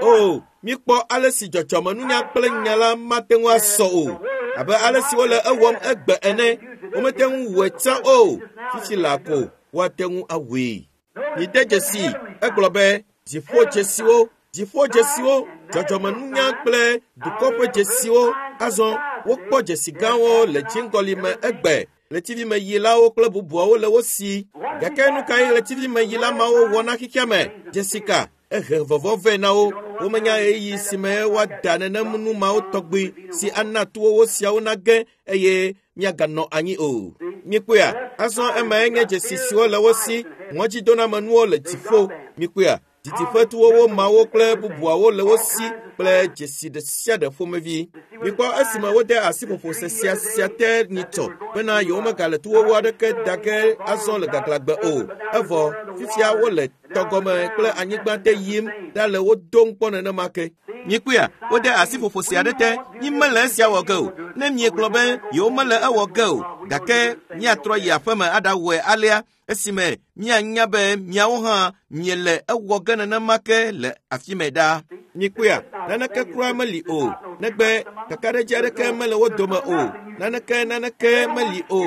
O, míekpɔ ale si dzɔdzɔmenunya kple nya la mate ŋu asɔ o. Abe ale si wole ewɔm egbe ene, womete ŋu wɔe tsã o. Fifi laa ko woate ŋu awɔe. Mide dzesi, egblɔ be dziƒodzesiwo, dziƒodzesiwo, dzɔdzɔmenunya kple dukɔ ƒe dzesiwo. Azɔ wokpɔ dzesi gãwo le dziŋgɔli me egbe. Ɣletivimeyilawo kple bubuawo le wo si. Gake nu kae ɣletivimeyila mawo wɔ na xexea me? Dzesi ka? Ehe vɔvɔ̃ vɛ na wo. Womenya ɣeyiɣi si me woada nenem nu mawo tɔgbi si ana towo siawo nage eye miaganɔ anyi o. Mikpɔea? Azɔ emae nye dzesi siwo le wo si. Ŋɔdzidonamenuwo le dziƒo. Mikpɔea? Didiƒetuwowo mawo kple bubuawo le wo si kple dzesi ɖe sia ɖe ƒomevi. Mikpɔ esime wode asi ƒoƒo sesia sia te nyitsɔ bena yewomegale tuwowo aɖeke da ge azɔ le gaglãgbe o. Evɔ fifia wole tɔgɔme kple anyigba te yim ɖa le wo dom kpɔ nenema ke. Mikpɔea? Wode asi ƒoƒo sia ɖe te. Mi mele esia wɔ ge o. Ne miegblɔ be yewomele ewɔ ge o, gake miatrɔ yi aƒeme aɖawɔe alea esime mianya be miawo hã miele ewɔ ge nenema ke le afi me ɖa. Mikpɔea? Naneke kura meli o. Negbe kakaɖedzi aɖeke mele wo dome o. Naneke naneke meli o.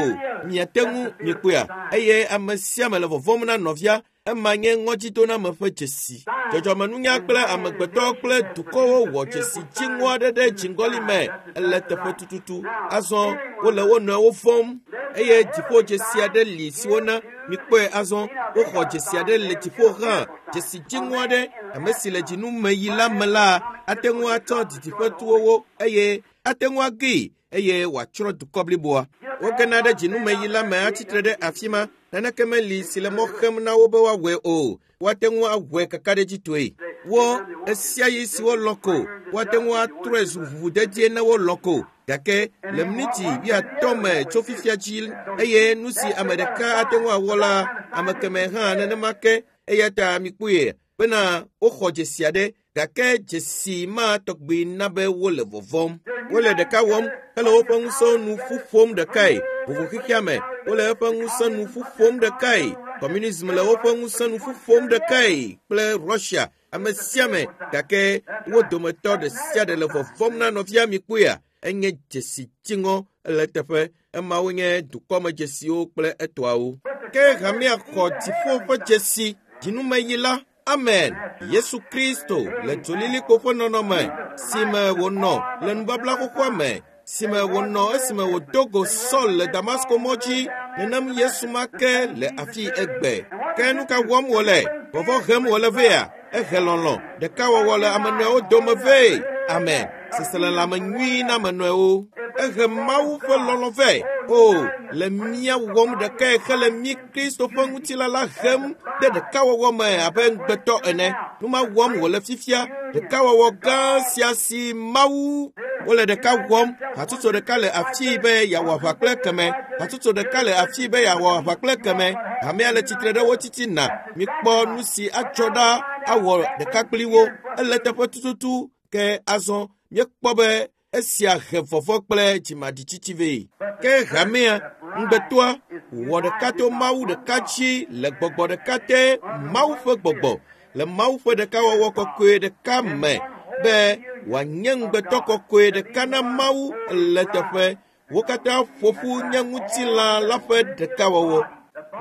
Miate ŋu mikpɔea? Eye ame sia ame le vɔvɔ̃m na nɔvia. Ema nye ŋɔdzidoname ƒe dzesi. Dzɔdzɔmenunya kple amegbetɔ kple dukɔwo wɔ dzesi dziŋɔ aɖe ɖe dziŋgɔli me ele teƒe tututu. Azɔ wole wo nɔewo vɔ̃m eye dziƒo dzesi aɖe li si wona mikpɔe azɔ woxɔ dzesi aɖe le dziƒo hã. Dzesi dziŋɔ aɖe ame si le dzinu me yi la me la ate ŋu atsɔ didiƒetuwowo eye ate ŋu agee eye wòatsrɔ̃ dukɔ bliboa. Wogena ɖe dzinumeyi la me atsitre ɖe afi ma. Naneke meli si le mɔ xem na wo be woawɔe o. Woate ŋu awɔe kakaɖedzitɔe. Wo ɣesiaɣi si wolɔ̃ ko, woate ŋu atrɔe zu ʋuʋudedie ne wolɔ̃ ko. Gake le miniti 50 me tso fifia dzi eye nu si ame ɖeka ate ŋu awɔ la, ame kemɛ hã nenema ke. Eya ta mikpɔe bena woxɔ dzesi aɖe gake dzesi ma tɔgbi na be wole vɔvɔ̃m. Wole ɖeka wɔm hele woƒe ŋusẽwo nu ƒu ƒom ɖekae. Vovo xexea me, wole eƒe ŋusẽ nu ƒu ƒom ɖekae. Communism le woƒe ŋusẽ nu ƒu ƒom ɖekae kple Russia. Ame sia ame gake wo dometɔ ɖe sia ɖe le vɔvɔ̃m na nɔvia mikpɔea? Enye dzesi dziŋɔ le eteƒe. Emawo nye dukɔmedzesiwo kple etɔawo. Ke hamea xɔ dziƒo ƒe dzesi dzinumeyi la. Amen. Yesu Kristo le dzolilikpo ƒe nɔnɔme si me wònɔ le nubabla xoxoa me, si me wònɔ esime wòdo go Saul le Damasko mɔ dzi, nenem Yesu ma ke le afi egbe. Ke nu ka wɔm wòle? Vɔvɔ̃ hem wòle vea? Ehe lɔlɔ̃, ɖekawɔwɔ le ame nɔewo dome vɛ. Amen. Seselelãme nyui na ame nɔewo. Ehe Mawu ƒe lɔlɔ̃ vɛ. O, le mía wɔm ɖekae hele mí Kristo ƒe ŋutilã la hem ɖe ɖekawɔwɔ me abe ŋugbetɔ ene. Nu ma wɔm wòle fifia. Ɖekawɔwɔ gã sia si Mawu wole ɖeka wɔm. Hatsotso ɖeka le afii be yeawɔ aʋa kple keme. Hatsotso ɖeka le afii be yeawɔ aʋa kple keme. Hamea le tsitre ɖe wo titina. Mikpɔ nu si atsɔ ɖa awɔ ɖeka kpli wo. Ele teƒe tututu ke azɔ míekpɔ be esia he vɔvɔ̃ kple dzimaɖitsitsi vɛ. Ke hamea ŋugbetɔa wɔ ɖeka to Mawu ɖeka dzi le gbɔgbɔ ɖeka te, Mawu ƒe gbɔgbɔ le Mawu ƒe ɖekawɔwɔ kɔkɔe ɖeka me be wòanye ŋugbetɔ kɔkɔe ɖeka na Mawu le teƒe. Wo katã ƒo ƒu nye ŋutilã la ƒe ɖekawɔwɔ.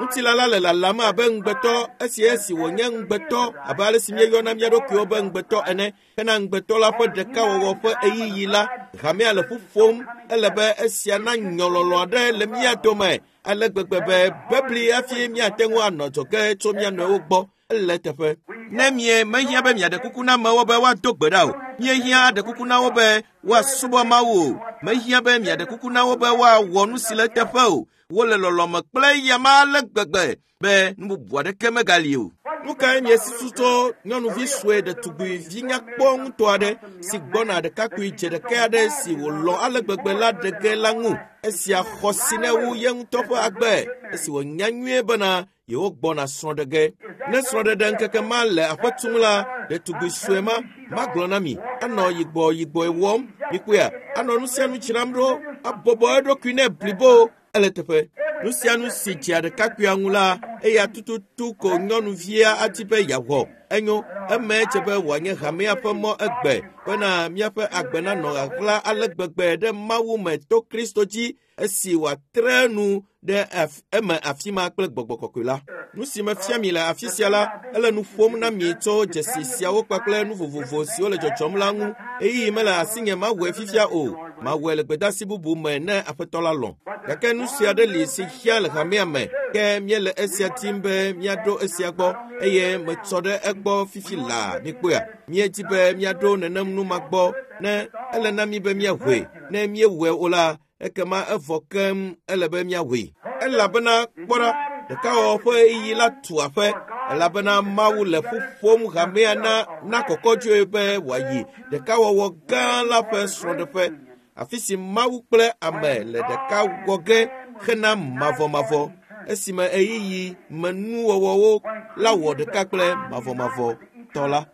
Ŋutilã la le lalam abe ŋugbetɔ esi esi wònye ŋugbetɔ abe ale si míeyɔna mía ɖokuiwo be ŋugbetɔ ene. Hena ŋugbetɔ la ƒe ɖekawɔwɔ ƒe ɣeyiɣi la, hamea le ƒu ƒom. Ele be esia nanyɔ lɔlɔ̃ aɖe le mía dome ale gbegbe be bebli hafi míate ŋu anɔ adzɔge tso mía nɔewo gbɔ. Ele teƒe. Ne mie mehiã be miaɖe kuku na amewo be woado gbe ɖa o. Míehiã aɖe kuku na wo be woasubɔ Mawu o. Mehiã be miaɖe kuku na wo be woawɔ nu si le eteƒe o. Wole lɔlɔ̃me kple eyama ale gbegbe be nu bubu aɖeke megali o. Nu kae miesusu tso nyɔnuvi sue ɖetugbivi nyakpɔ ŋutɔ aɖe si gbɔna ɖekakpui dze ɖeka aɖe si wòlɔ̃ ale gbegbe la ɖe ge la ŋu? Esia xɔ si ne wu ye ŋutɔ ƒe agbe esi wònya nyuie bena yewo gbɔna srɔ̃ ɖe ge. Ne srɔ̃ɖeɖe ŋkeke ma le aƒe tum la, ɖetugbi sue ma magblɔ na mi anɔ yigbɔ yigbɔe wɔm. Mikpɔea, anɔ nu sia nu dzram ɖo, abɔbɔ eɖokui nɛ blibo. Ele teƒe. Nu sia nu si dzea ɖekakpuia ŋu la, eya tututu ko nyɔnuvia adi be yeawɔ. Enyo, eme dze be wòanye hamea ƒe mɔ egbe bena míaƒe agbe nanɔ ɣaɣla ale gbegbe ɖe Mawu me to Kristo dzi esi wòatre nu ɖe eme afi ma kple gbɔgbɔ kɔkɔe la. Nu si mefia mi le afi sia la, ele nu ƒom na mi tso dzesi siawo kpakple nu vovovo siwo le dzɔdzɔm la ŋu. Ɣeyiɣi mele asinye mawɔe fifia o. Mawɔe le gbedeasi bubu me ne Aƒetɔ la lɔ̃. Gake nu sia aɖe li si hiã le hamea me, ke míele esia dim be míaɖo esia gbɔ eye metsɔ ɖe egbɔ fifi laa. Mikpɔea, míedi be míaɖo nenem nu ma gbɔ ne ele na mí be míaʋɔe. Ne míewɔe o la, ekema evɔ keŋ ele be míaʋɔe. Elabena kpɔ ɖa, ɖekawɔwɔ ƒe ɣeyiɣi la tu aƒe elabena Mawu le ƒu ƒom hamea na na kɔkɔdzoe be wòayi ɖekawɔwɔ gã la ƒe srɔ̃ɖeƒe, afi si Mawu kple ame le ɖeka wɔ ge hena mavɔmavɔ, esime ɣeyiɣi me nuwɔwɔwo la wɔ ɖeka kple mavɔmavɔ tɔ la.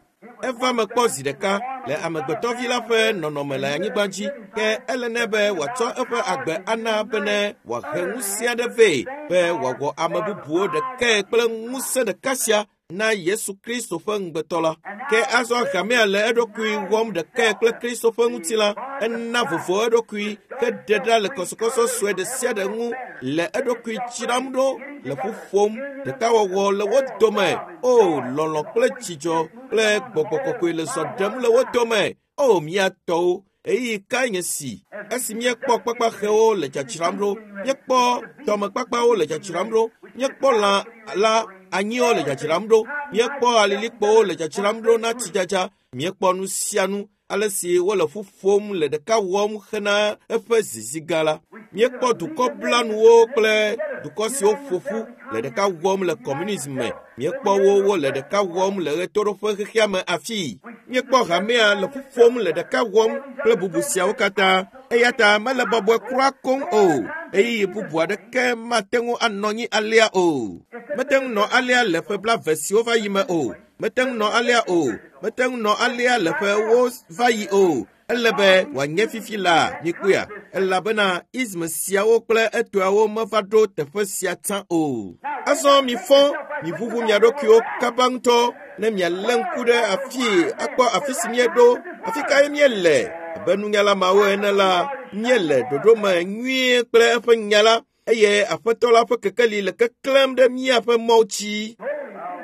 Eva me kpɔ zi ɖeka le amegbetɔvi la ƒe nɔnɔme le anyigba dzi, ke ele nɛ be wòatsɔ eƒe agbe ana bene wòahe ŋusẽ aɖe vɛ be wòawɔ ame bubuwo ɖekae kple ŋusẽ ɖeka sia na Yesu Kristo ƒe ŋugbetɔ la. Ke azɔ hamea le eɖokui wɔm ɖekae kple Kristo ƒe ŋutilã. Ena vovo eɖokui heɖe ɖa le kɔsɔkɔsɔ sue ɖe sia ɖe ŋu le eɖokui dzram ɖo le ƒu ƒom ɖekawɔwɔ le wo dome. O, lɔlɔ̃ kple dzidzɔ kple gbɔgbɔ kɔkɔe le zɔ ɖem le wo dome. O, mía tɔwo, ɣeyiɣi kae nye si esi míekpɔ kpakpaxewo le dzadzram ɖo, míekpɔ tɔmekpakpawo le dzadzram ɖo, míekpɔ lã la anyiwo le dzadzram ɖo, míekpɔ alilikpowo le dzadzram ɖo na tsidzadza, míekpɔ nu sia nu ale si wole ƒu ƒom le ɖeka wɔm hena eƒe zizi gã la. Míekpɔ dukɔ blanuwo kple dukɔ siwo ƒo ƒu le ɖeka wɔm le kɔmunism me. Míekpɔ wo wole ɖeka wɔm le ɣetoɖoƒe xexea me afii. Míekpɔ hamea le ƒu ƒom le ɖeka wɔm kple bubu siawo katã. Eya ta mele bɔbɔe kura koŋ o. Ɣeyiɣi bubu aɖeke mate ŋu anɔ anyi alea o. Mete ŋu nɔ alea le ƒe blaeve siwo va yi me o. Mete ŋu nɔ alea o. Mete ŋu nɔ alea le ƒewo va yi o. Ele be wòanye fifi laa, mikpɔea, elabena ism siawo kple etɔawo meva ɖo teƒe sia tsã o. Azɔ mifɔ, miʋuʋu mia ɖokuiwo kaba ŋutɔ ne mialé ŋku ɖe afii akpɔ afi si míeɖo, afi kae míele. Abe nunyala mawo ene la, míele ɖoɖo me nyuie kple eƒe nya la eye Aƒetɔ la ƒe kekeli le keklẽm ɖe míaƒe mɔwo dzi.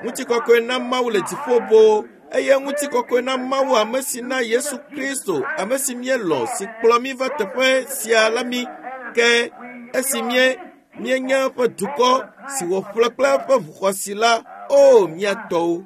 Ŋutikɔkɔe na Mawu le dziƒo boo eye ŋutikɔkɔe na Mawu ame si na Yesu Kristo, ame si míelɔ̃, si kplɔ mí va teƒe sia la mí. Ke esi míenye eƒe dukɔ si wòƒle kple eƒe ʋuxɔsi la, o mía tɔwo.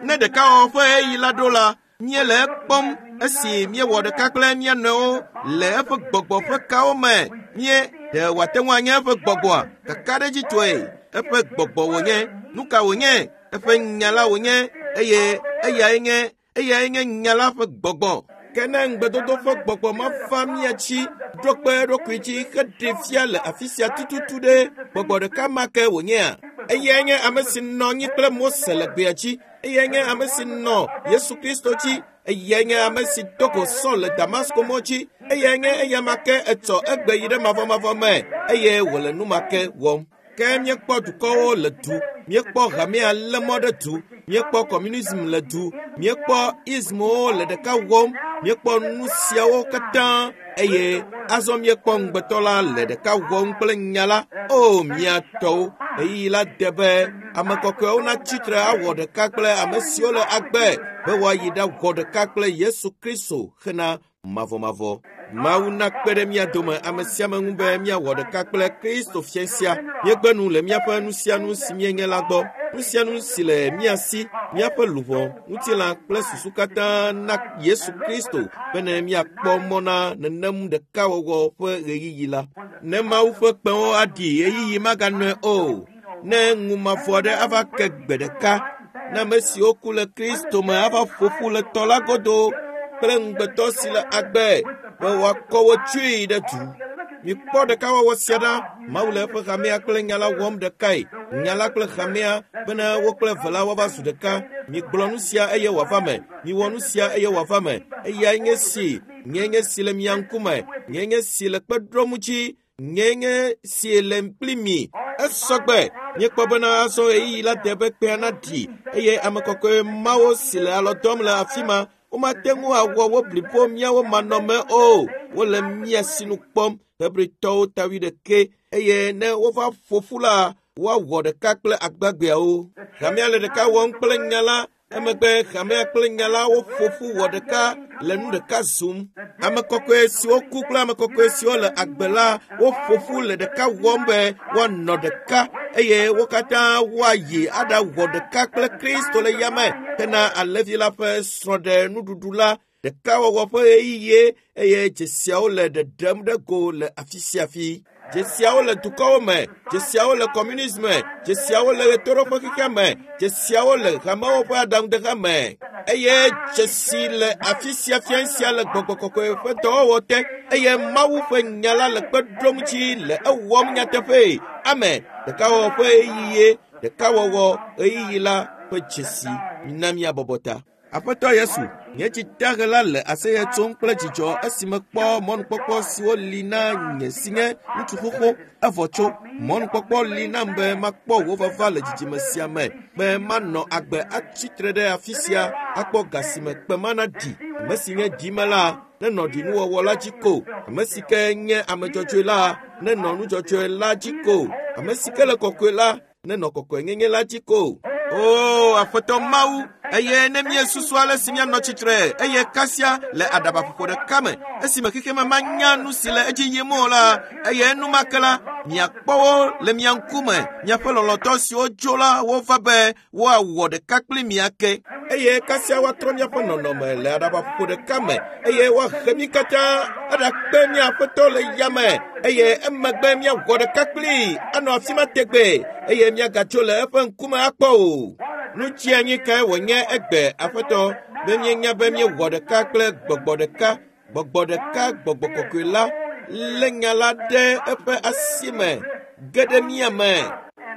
Ne ɖekawɔwɔ ƒe ɣeyiɣi la ɖo la, míele ekpɔm esi míewɔ ɖeka kple mía nɔewo le eƒe gbɔgbɔ ƒe kawo me. Mie ɖe wòate ŋu anye eƒe gbɔgbɔa? Kakaɖedzitɔe eƒe gbɔgbɔ wònye. Nu ka wònye? Eƒe nya la wònye eye eyae nye nya la ƒe gbɔgbɔ. Ke ne ŋugbedodo ƒe gbɔgbɔ ma va mía dzi, ɖo kpe eɖokui dzi heɖee fia le afi sia tututu ɖe, gbɔgbɔ ɖeka ma ke wònyea? Eyae nye ame si nɔ anyi kple Mose le gbea dzi. Eyae nye ame si nɔ Yesu Kristo dzi. Eyae nye ame si do go Saul le Damasko mɔ dzi. Eyae nye eya ma ke etsɔ egbe yi ɖe mavɔmavɔ me eye wòle nu ma ke wɔm. Ke míekpɔ dukɔwo le du, míekpɔ hamea lé mɔ ɖe du, míekpɔ communism le du, míekpɔ ismwo le ɖeka wɔm, míekpɔ nu siawo katã eye azɔ míekpɔ ŋugbetɔ la le ɖeka wɔm kple nya la. O mía tɔwo, ɣeyiɣi la de be ame kɔkɔewo natsi tre awɔ ɖeka kple ame siwo le agbe be woayi ɖawɔ ɖeka kple Yesu Kristo hena mavɔmavɔ. Mawu nakpe ɖe mía dome ame sia ame ŋu be míawɔ ɖeka kple Kristo fia sia. Míegbe nu le míaƒe nu sia nu si míenye la gbɔ. Nu sia nu si le mía si, míaƒe luʋɔ, ŋutilã kple susu katã na Yesu Kristo bene míakpɔ mɔ na nenem ɖekawɔwɔ ƒe ɣeyiɣi la. Ne Mawu ƒe kpẽwo aɖi ɣeyiɣi maganɔe o. Ne ŋu mavɔ aɖe ava ke gbe ɖeka, ne ame siwo ku le Kristo me ava ƒo ƒu le tɔ la godo kple ŋugbetɔ si le agbe be woakɔ wo tsoe ɖe du. Mikpɔ ɖekawɔwɔ sia ɖa. Mawu le eƒe hamea kple nya la wɔm ɖekae. Nya la kple hamea bene wo kple eve la woava zu ɖeka. Migblɔ nu sia eye wòava me. Miwɔ nu sia eye wòava me. Eyae nye si. Nye nye si le mia ŋkume. Nye nye si le kpe ɖom dzi. Nye nye si le kpli mi. Esɔgbe. Míekpɔ bena azɔ ɣeyiɣi la de be kpea naɖi eye ame kɔkɔe mawo si le alɔ dɔm le afi ma, womate ŋu awɔ wo blibo míawo manɔme o. Wole mía sinu kpɔm. Hebritɔwo ta 21 eye ne wova ƒo ƒu la, woawɔ ɖeka kple agbagbeawo. Hamea le ɖeka wɔm kple nya la. Emegbe hamea kple nya la woƒo ƒu wɔ ɖeka le nu ɖeka zum. Ame kɔkɔe siwo ku kple ame kɔkɔe siwo le agbe la woƒo ƒu le ɖeka wɔm be woanɔ ɖeka eye wo katã woayi aɖawɔ ɖeka kple Kristo le yame hena alẽvi la ƒe srɔ̃ɖenuɖuɖu la. Ɖekawɔwɔ ƒe ɣeyiɣie eye dzesiawo le ɖeɖem ɖe go le afi sia afi. Dzesiawo le dukɔwo me, dzesiawo le communism me, dzesiawo le ɣetoɖoƒe xexea me, dzesiawo le hamewo ƒe aɖaŋudeha me eye dzesi le afi sia fia sia le gbɔgbɔ kɔkɔe ƒe dɔwɔwɔ te eye Mawu ƒe nya la le kpe ɖom dzi le ewɔm nyateƒee. Amen. Ɖekawɔwɔ ƒe ɣeyiɣie, ɖekawɔwɔ ɣeyiɣi la ƒe dzesi. Mina míabɔbɔ ta. Aƒetɔ Yesu, nye dzitahe la le aseye tsom kple dzidzɔ esi mekpɔ mɔnukpɔkpɔ siwo li na nye si nye ŋutsu xoxo evɔ tso. Mɔnukpɔkpɔ li nam be makpɔ wò vava le dzidzime sia me, be manɔ agbe atsi tre ɖe afi sia akpɔ ga si me kpe mana ɖi. Ame si nye ɖime la nenɔ ɖinuwɔwɔ la dzi ko. Ame si ke nye ame dzɔdzɔe la nenɔ nu dzɔdzɔe la dzi ko. Ame si ke le kɔkɔe la nenɔ kɔkɔenyenye la dzi ko. O Aƒetɔ Mawu, eye ne míesusu ale si míanɔ tsitre eye kasia le aɖabaƒoƒo ɖeka me esime xexeme manya nu si le edzi yim o la, eye enumake la miakpɔ wo le mia ŋkume, miaƒe lɔlɔ̃tɔ siwo dzo la wova be woawɔ ɖeka kpli mi ake. Eye kasia woatrɔ míaƒe nɔnɔme le aɖabaƒoƒo ɖeka me eye woahe mí katã aɖakpe mía Aƒetɔ le yame eye emegbe míawɔ ɖeka kplii anɔ afi ma tegbee eye míagatso le eƒe ŋkume akpɔ o. Nu tsianyi kae wònye egbe, Aƒetɔ, be míenya be míewɔ ɖeka kple gbɔgbɔ ɖeka, gbɔgbɔ ɖeka, gbɔgbɔ kɔkɔe la lé nya la ɖe eƒe asi me ge ɖe mía me.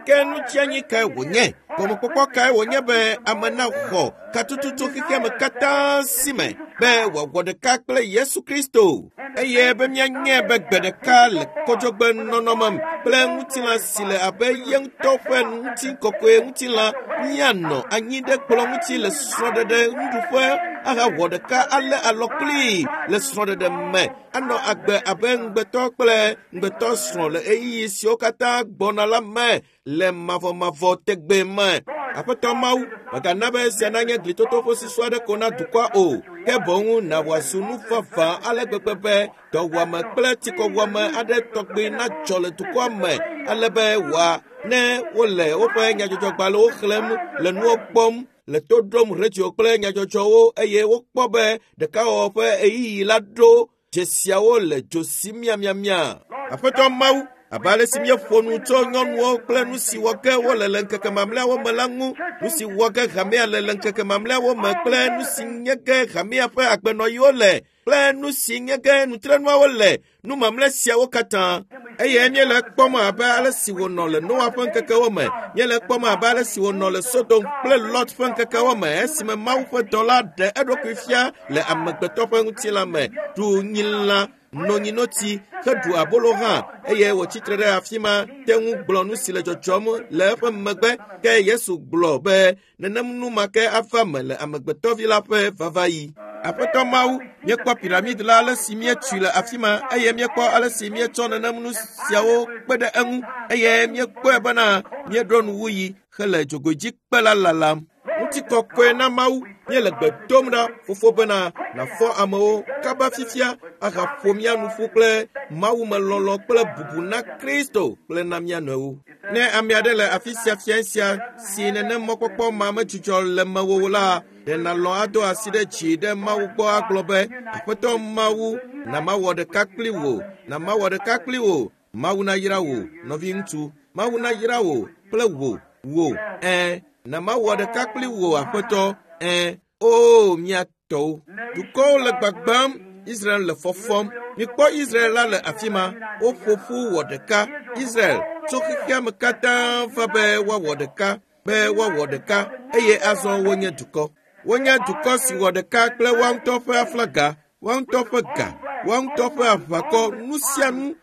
Ke nu tsianyi kae wònye? Gɔmekpɔkpɔ kae wònye be ame naxɔ katututu xexeame katã si me be wòawɔ ɖeka kple Yesu Kristo eye be míanye be gbe ɖeka le kɔdzɔgbe nɔnɔme kple ŋutilã si le abe ye ŋutɔ ƒe ŋutikɔkɔe ŋutilã míanɔ anyi ɖe kplɔ̃ ŋuti le srɔ̃ɖeɖe nuɖuƒe ahawɔ ɖeka alé alɔ kplii le srɔ̃ɖeɖe me anɔ agbe abe ŋugbetɔ kple ŋugbetɔ srɔ̃ le ɣeyiɣi siwo katã gbɔna la me le mavɔmavɔ tegbe me. Aƒetɔ Mawu, mègana be esia nanye glitoto ƒe susu aɖe ko na dukɔa o, ke boŋ na wòazu nu vavã ale gbegbe be dɔwuame kple tsikɔwuame aɖe tɔgbi nadzɔ le dukɔa me ale be wòa ne wole woƒe nyadzɔdzɔgbalẽwo xlẽm le nuwo kpɔm le to ɖom radio kple nyadzɔdzɔwo eye wokpɔ be ɖekawɔwɔ ƒe ɣeyiɣi la ɖo dzesiawo le dzo sim miamiamia. Aƒetɔ Mawu, abe ale si míeƒo nu tso nyɔnuwo kple nu si wɔ ge wole le ŋkeke mamlɛawo me la ŋu, nu si wɔ ge hamea le le ŋkeke mamlɛawo me kple nu si nye ge hamea ƒe agbenɔɣiwo le kple nu si nye ge nutrenuawo le, nu mamlɛ siawo katã. Eye míele kpɔm abe ale si wònɔ le Noa ƒe ŋkekewo me, míele kpɔm abe ale si wònɔ le Sodom kple Lot ƒe ŋkekewo me esime Mawu ƒe dɔla ɖe eɖokui fia le amegbetɔ ƒe ŋutilã me, ɖu nyilã, no nyinotsi, heɖu abolo hã, eye wòtsi tre ɖe afi ma te ŋu gblɔ nu si le dzɔdzɔm le eƒe megbe. Ke Yesu gblɔ be nenem nu ma ke ava me le amegbetɔvi la ƒe vavaɣi. Aƒetɔ Mawu, míekpɔ piramid la ale si míetui le afi ma eye míekpɔ ale si míetsɔ nenem nu siawo kpe ɖe eŋu eye míekpɔe bena míeɖo nuwuɣi hele dzogoedzikpe la lalam. Ŋutikɔkɔe na Mawu, míele gbe dom ɖa fofo bena nàfɔ amewo kaba fifia ahaƒo mía nu ƒu kple mawumelɔlɔ̃ kple bubu na Kristo kple na mía nɔewo. Ne ame aɖe le afi sia fia sia si nenem mɔkpɔkpɔ ma medzudzɔ le mewò o la, ɖe nàlɔ̃ ado asi ɖe dzi ɖe Mawu gbɔ agblɔ be, Aƒetɔ Mawu, na mawɔ ɖeka kpli wò, na mawɔ ɖeka kpli wò. Mawu nayra wò, nɔviŋutsu. Mawu nayra wò kple wò, wò. Ɛ̃, na mawɔ ɖeka kpli wò, Aƒetɔ. Ɛ̃, oo, mía tɔwo. Dukɔwo le gbagbãm, Israel le fɔfɔm. Mikpɔ Israel la le afi ma. Woƒo ƒu wɔ ɖeka. Israel tso xexea me katã va be woawɔ ɖeka, be woawɔ ɖeka eye azɔ wonye dukɔ. Wonye dukɔ si wɔ ɖeka kple woa ŋutɔ ƒe aflaga, woa ŋutɔ ƒe ga, woa ŋutɔ ƒe aʋakɔ, nu sia nu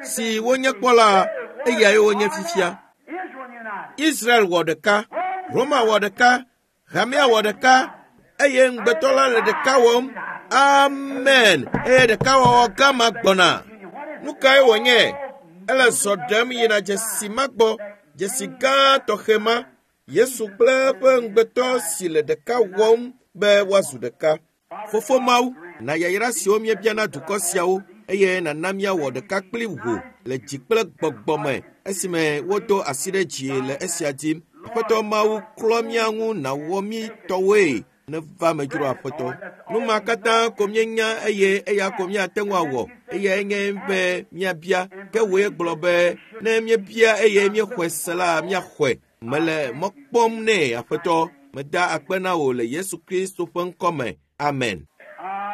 si wonye kpɔ la, eyae wonye fifia. Israel wɔ ɖeka, Roma wɔ ɖeka, hamea wɔ ɖeka eye ŋugbetɔ la le ɖeka wɔm. Amen. Eye ɖekawɔwɔ gã ma gbɔna. Nu kae wònye? Ele zɔ ɖem yina dzesi ma gbɔ, dzesi gã tɔxɛ ma. Yesu kple eƒe ŋugbetɔ si le ɖeka wɔm be woazu ɖeka. Fofo Mawu, na yayra siwo míebia na dukɔ siawo eye nàna míawɔ ɖeka kpli wò le dzi kple gbɔgbɔ me esime wodo asi ɖe dzi le esia dim. Aƒetɔ Mawu, klɔ mía ŋu nàwɔ mí tɔwoe neva me dzro Aƒetɔ. Nu ma katã ko míenya eye eya ko míate ŋu awɔ. Eyae nye be míabia. Ke wòe gblɔ be ne míebia eye míexɔe se la, míaxɔe. Mele mɔ kpɔm nɛ, Aƒetɔ. Meda akpe na wò le Yesu Kristo ƒe ŋkɔ me. Amen.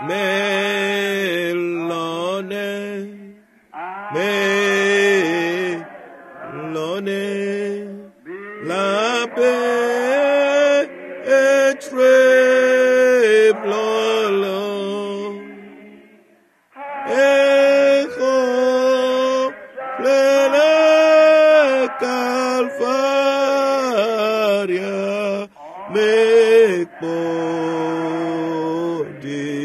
Melɔ̃nɛ, melɔ̃nɛ, labe etrem lɔlɔ̃. Exɔ ƒle le Kalvaria mekpɔ ɖeɖe.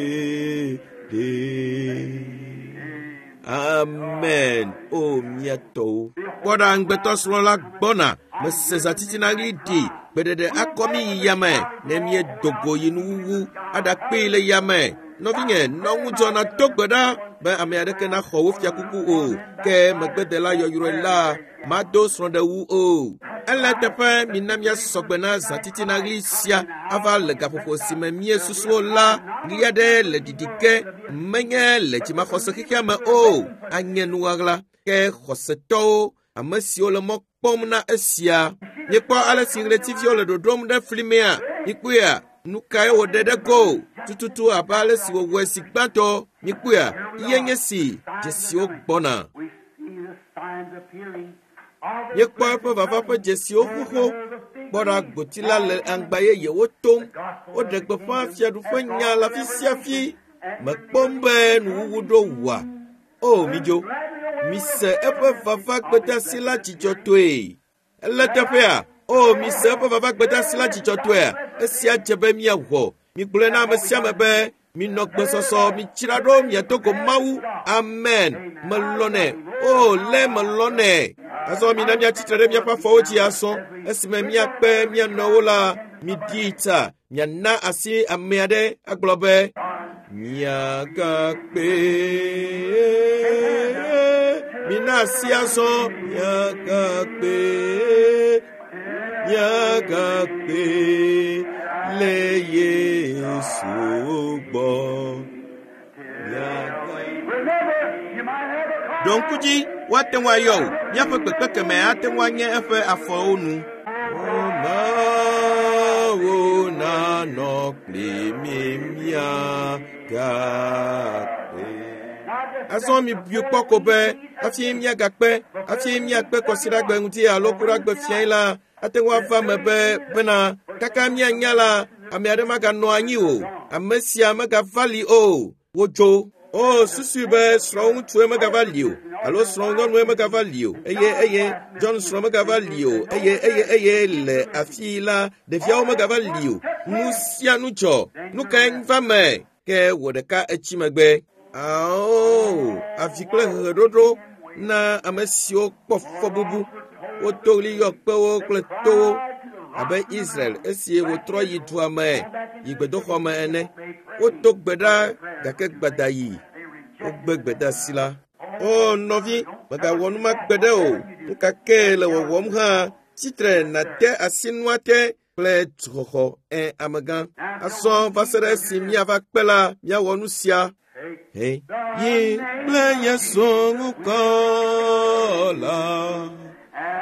Amen. O mía tɔwo. Kpɔ ɖa ŋugbetɔsrɔ̃ la gbɔna. Mese zãtitina ɣli ɖi. Gbeɖeɖe akɔ mí yi yame ne míedo go yi nuwuwu aɖakpee le yame. Nɔvinye, nɔ ŋudzɔ nàdo gbe ɖa be ame aɖeke naxɔ wò fiakuku o, ke megbedela yɔyrɔe la mado srɔ̃ɖewu o. Ele eteƒe mina míasɔ gbe na zãtitina ɣli sia ava le gaƒoƒo si me míesusu o la, ɣli aɖe le ɖiɖi ge, menye le dzimaxɔse xexea me o, anye nu ɣaɣla, ke xɔsetɔwo, ame siwo le mɔ kpɔm na esia. Míekpɔ ale si ɣletiviwo le ɖoɖom ɖe fli mea? Míkpɔea? Nu kae wòɖe ɖe go? Tututu abe ale si wòwɔe zi gbãtɔ. Míkpɔea? Ye nye si dzesiwo gbɔna. Míekpɔ eƒe vava ƒe dzesiwo xoxo. Kpɔ ɖa, gboti la le aŋgba yeyewo tom. Woɖe gbeƒã Fiaɖuƒe nya le afi sia afi. Mekpɔm be nuwuwu ɖo wua? O, midzo, mise eƒe vava gbedasi la dzidzɔtɔe. Ele teƒea? O, mise eƒe vava gbedasi la dzidzɔtɔea? Esia dze be míawɔ. Migblɔe na ame sia ame be Minɔ gbesɔsɔ, mitsra ɖo miado go Mawu. Amen. Melɔnɛ. O, lé melɔnɛ. Azɔ mina míatsitre ɖe míaƒe afɔwo dzi azɔ. Esime míakpe mía nɔewo la, miɖi ta, miana asi ame aɖe agblɔ be, miagakpe. Mina asi azɔ, miagakpe. Miagakpe le Yesu gbɔ. Remember, you might have a call. Ɖo ŋku dzi, woate ŋu ayɔ wò. Míaƒe kpekpe keme ate ŋu anye eƒe afɔwo nu. Mawu nanɔ kpli mi miagakpe. Azɔ mibui kpɔ ko be hafi míagakpe, hafi míakpe kɔsiɖagbe ŋuti alo kuɖagbe fiae la, ate ŋu ava me be bena kaka míanya la, ame aɖe maganɔ anyi o. Ame sia megava li o. Wodzo. O, susui be srɔ̃ŋutsue megava li o, alo srɔ̃nyɔnue megava li o, eye eye John srɔ̃ megava li o, eye eye eye le afii la, ɖeviawo megava li o. Nu sia nu dzɔ. Nu kae va me? Ke wò ɖeka etsi megbe. Ao, avi kple heheɖoɖo na ame siwo kpɔ fɔbubu. Woto ɣli yɔ kpewo kple towo abe Israel esi wotrɔ yi dua me yi gbedoxɔ me ene. Wodo gbe ɖa gake gbada yi. Wogbe gbedeasi la. O nɔvi, mègawɔ nu ma gbe ɖe o. Nu ka ke le wɔwɔm hã, tsitre nàte asi nua te kple duxɔxɔ ẽ amegã. Azɔ va se ɖe esi míava kpe la, míawɔ nu sia. He yi kple Yesu ŋkɔ la,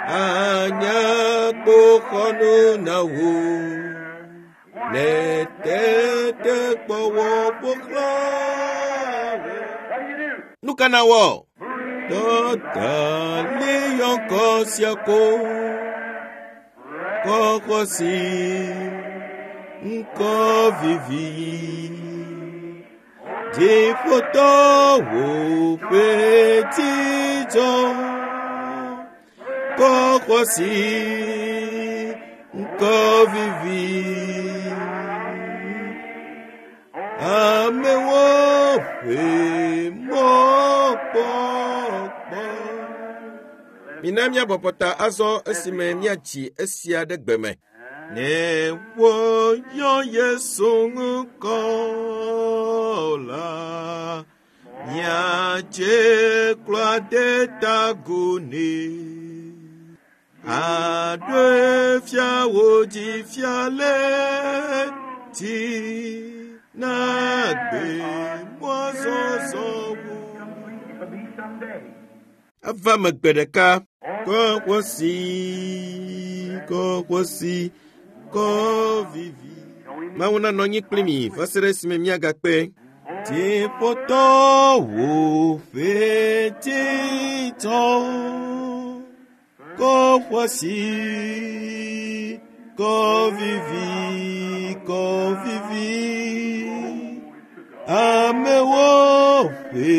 anye kpoxɔnu na wò. Ne tetekpɔwɔ ƒo xlã wò. What do you do? Nu ka na wɔ? Dɔta li yɔ ŋkɔ sia ko. Kɔkɔ si ŋkɔ vivi. Dziƒotɔwo ƒe dzidzɔ. Kɔkɔ si ŋkɔ vivi. Amewo ƒe mɔkpɔkpɔ. Mina míabɔbɔ ta azɔ esime míatsi esia ɖe gbe me. Ne woyɔ Yesu ŋkɔ la, míadze klo ade ta agu nɛ. Aɖoe fia wò dzi fia le dzi na gbe mɔzɔzɔ wò. It'll be someday. Eva me gbe ɖeka. Kɔkɔsi, kɔkɔsi, kɔ vivi. Mawu nanɔ anyi kpli mi va se ɖe esime míagakpe. Dziƒotɔwo ƒe dzidzɔ. Kɔkɔsi, kɔ vivi, kɔ vivi. Amewo ƒe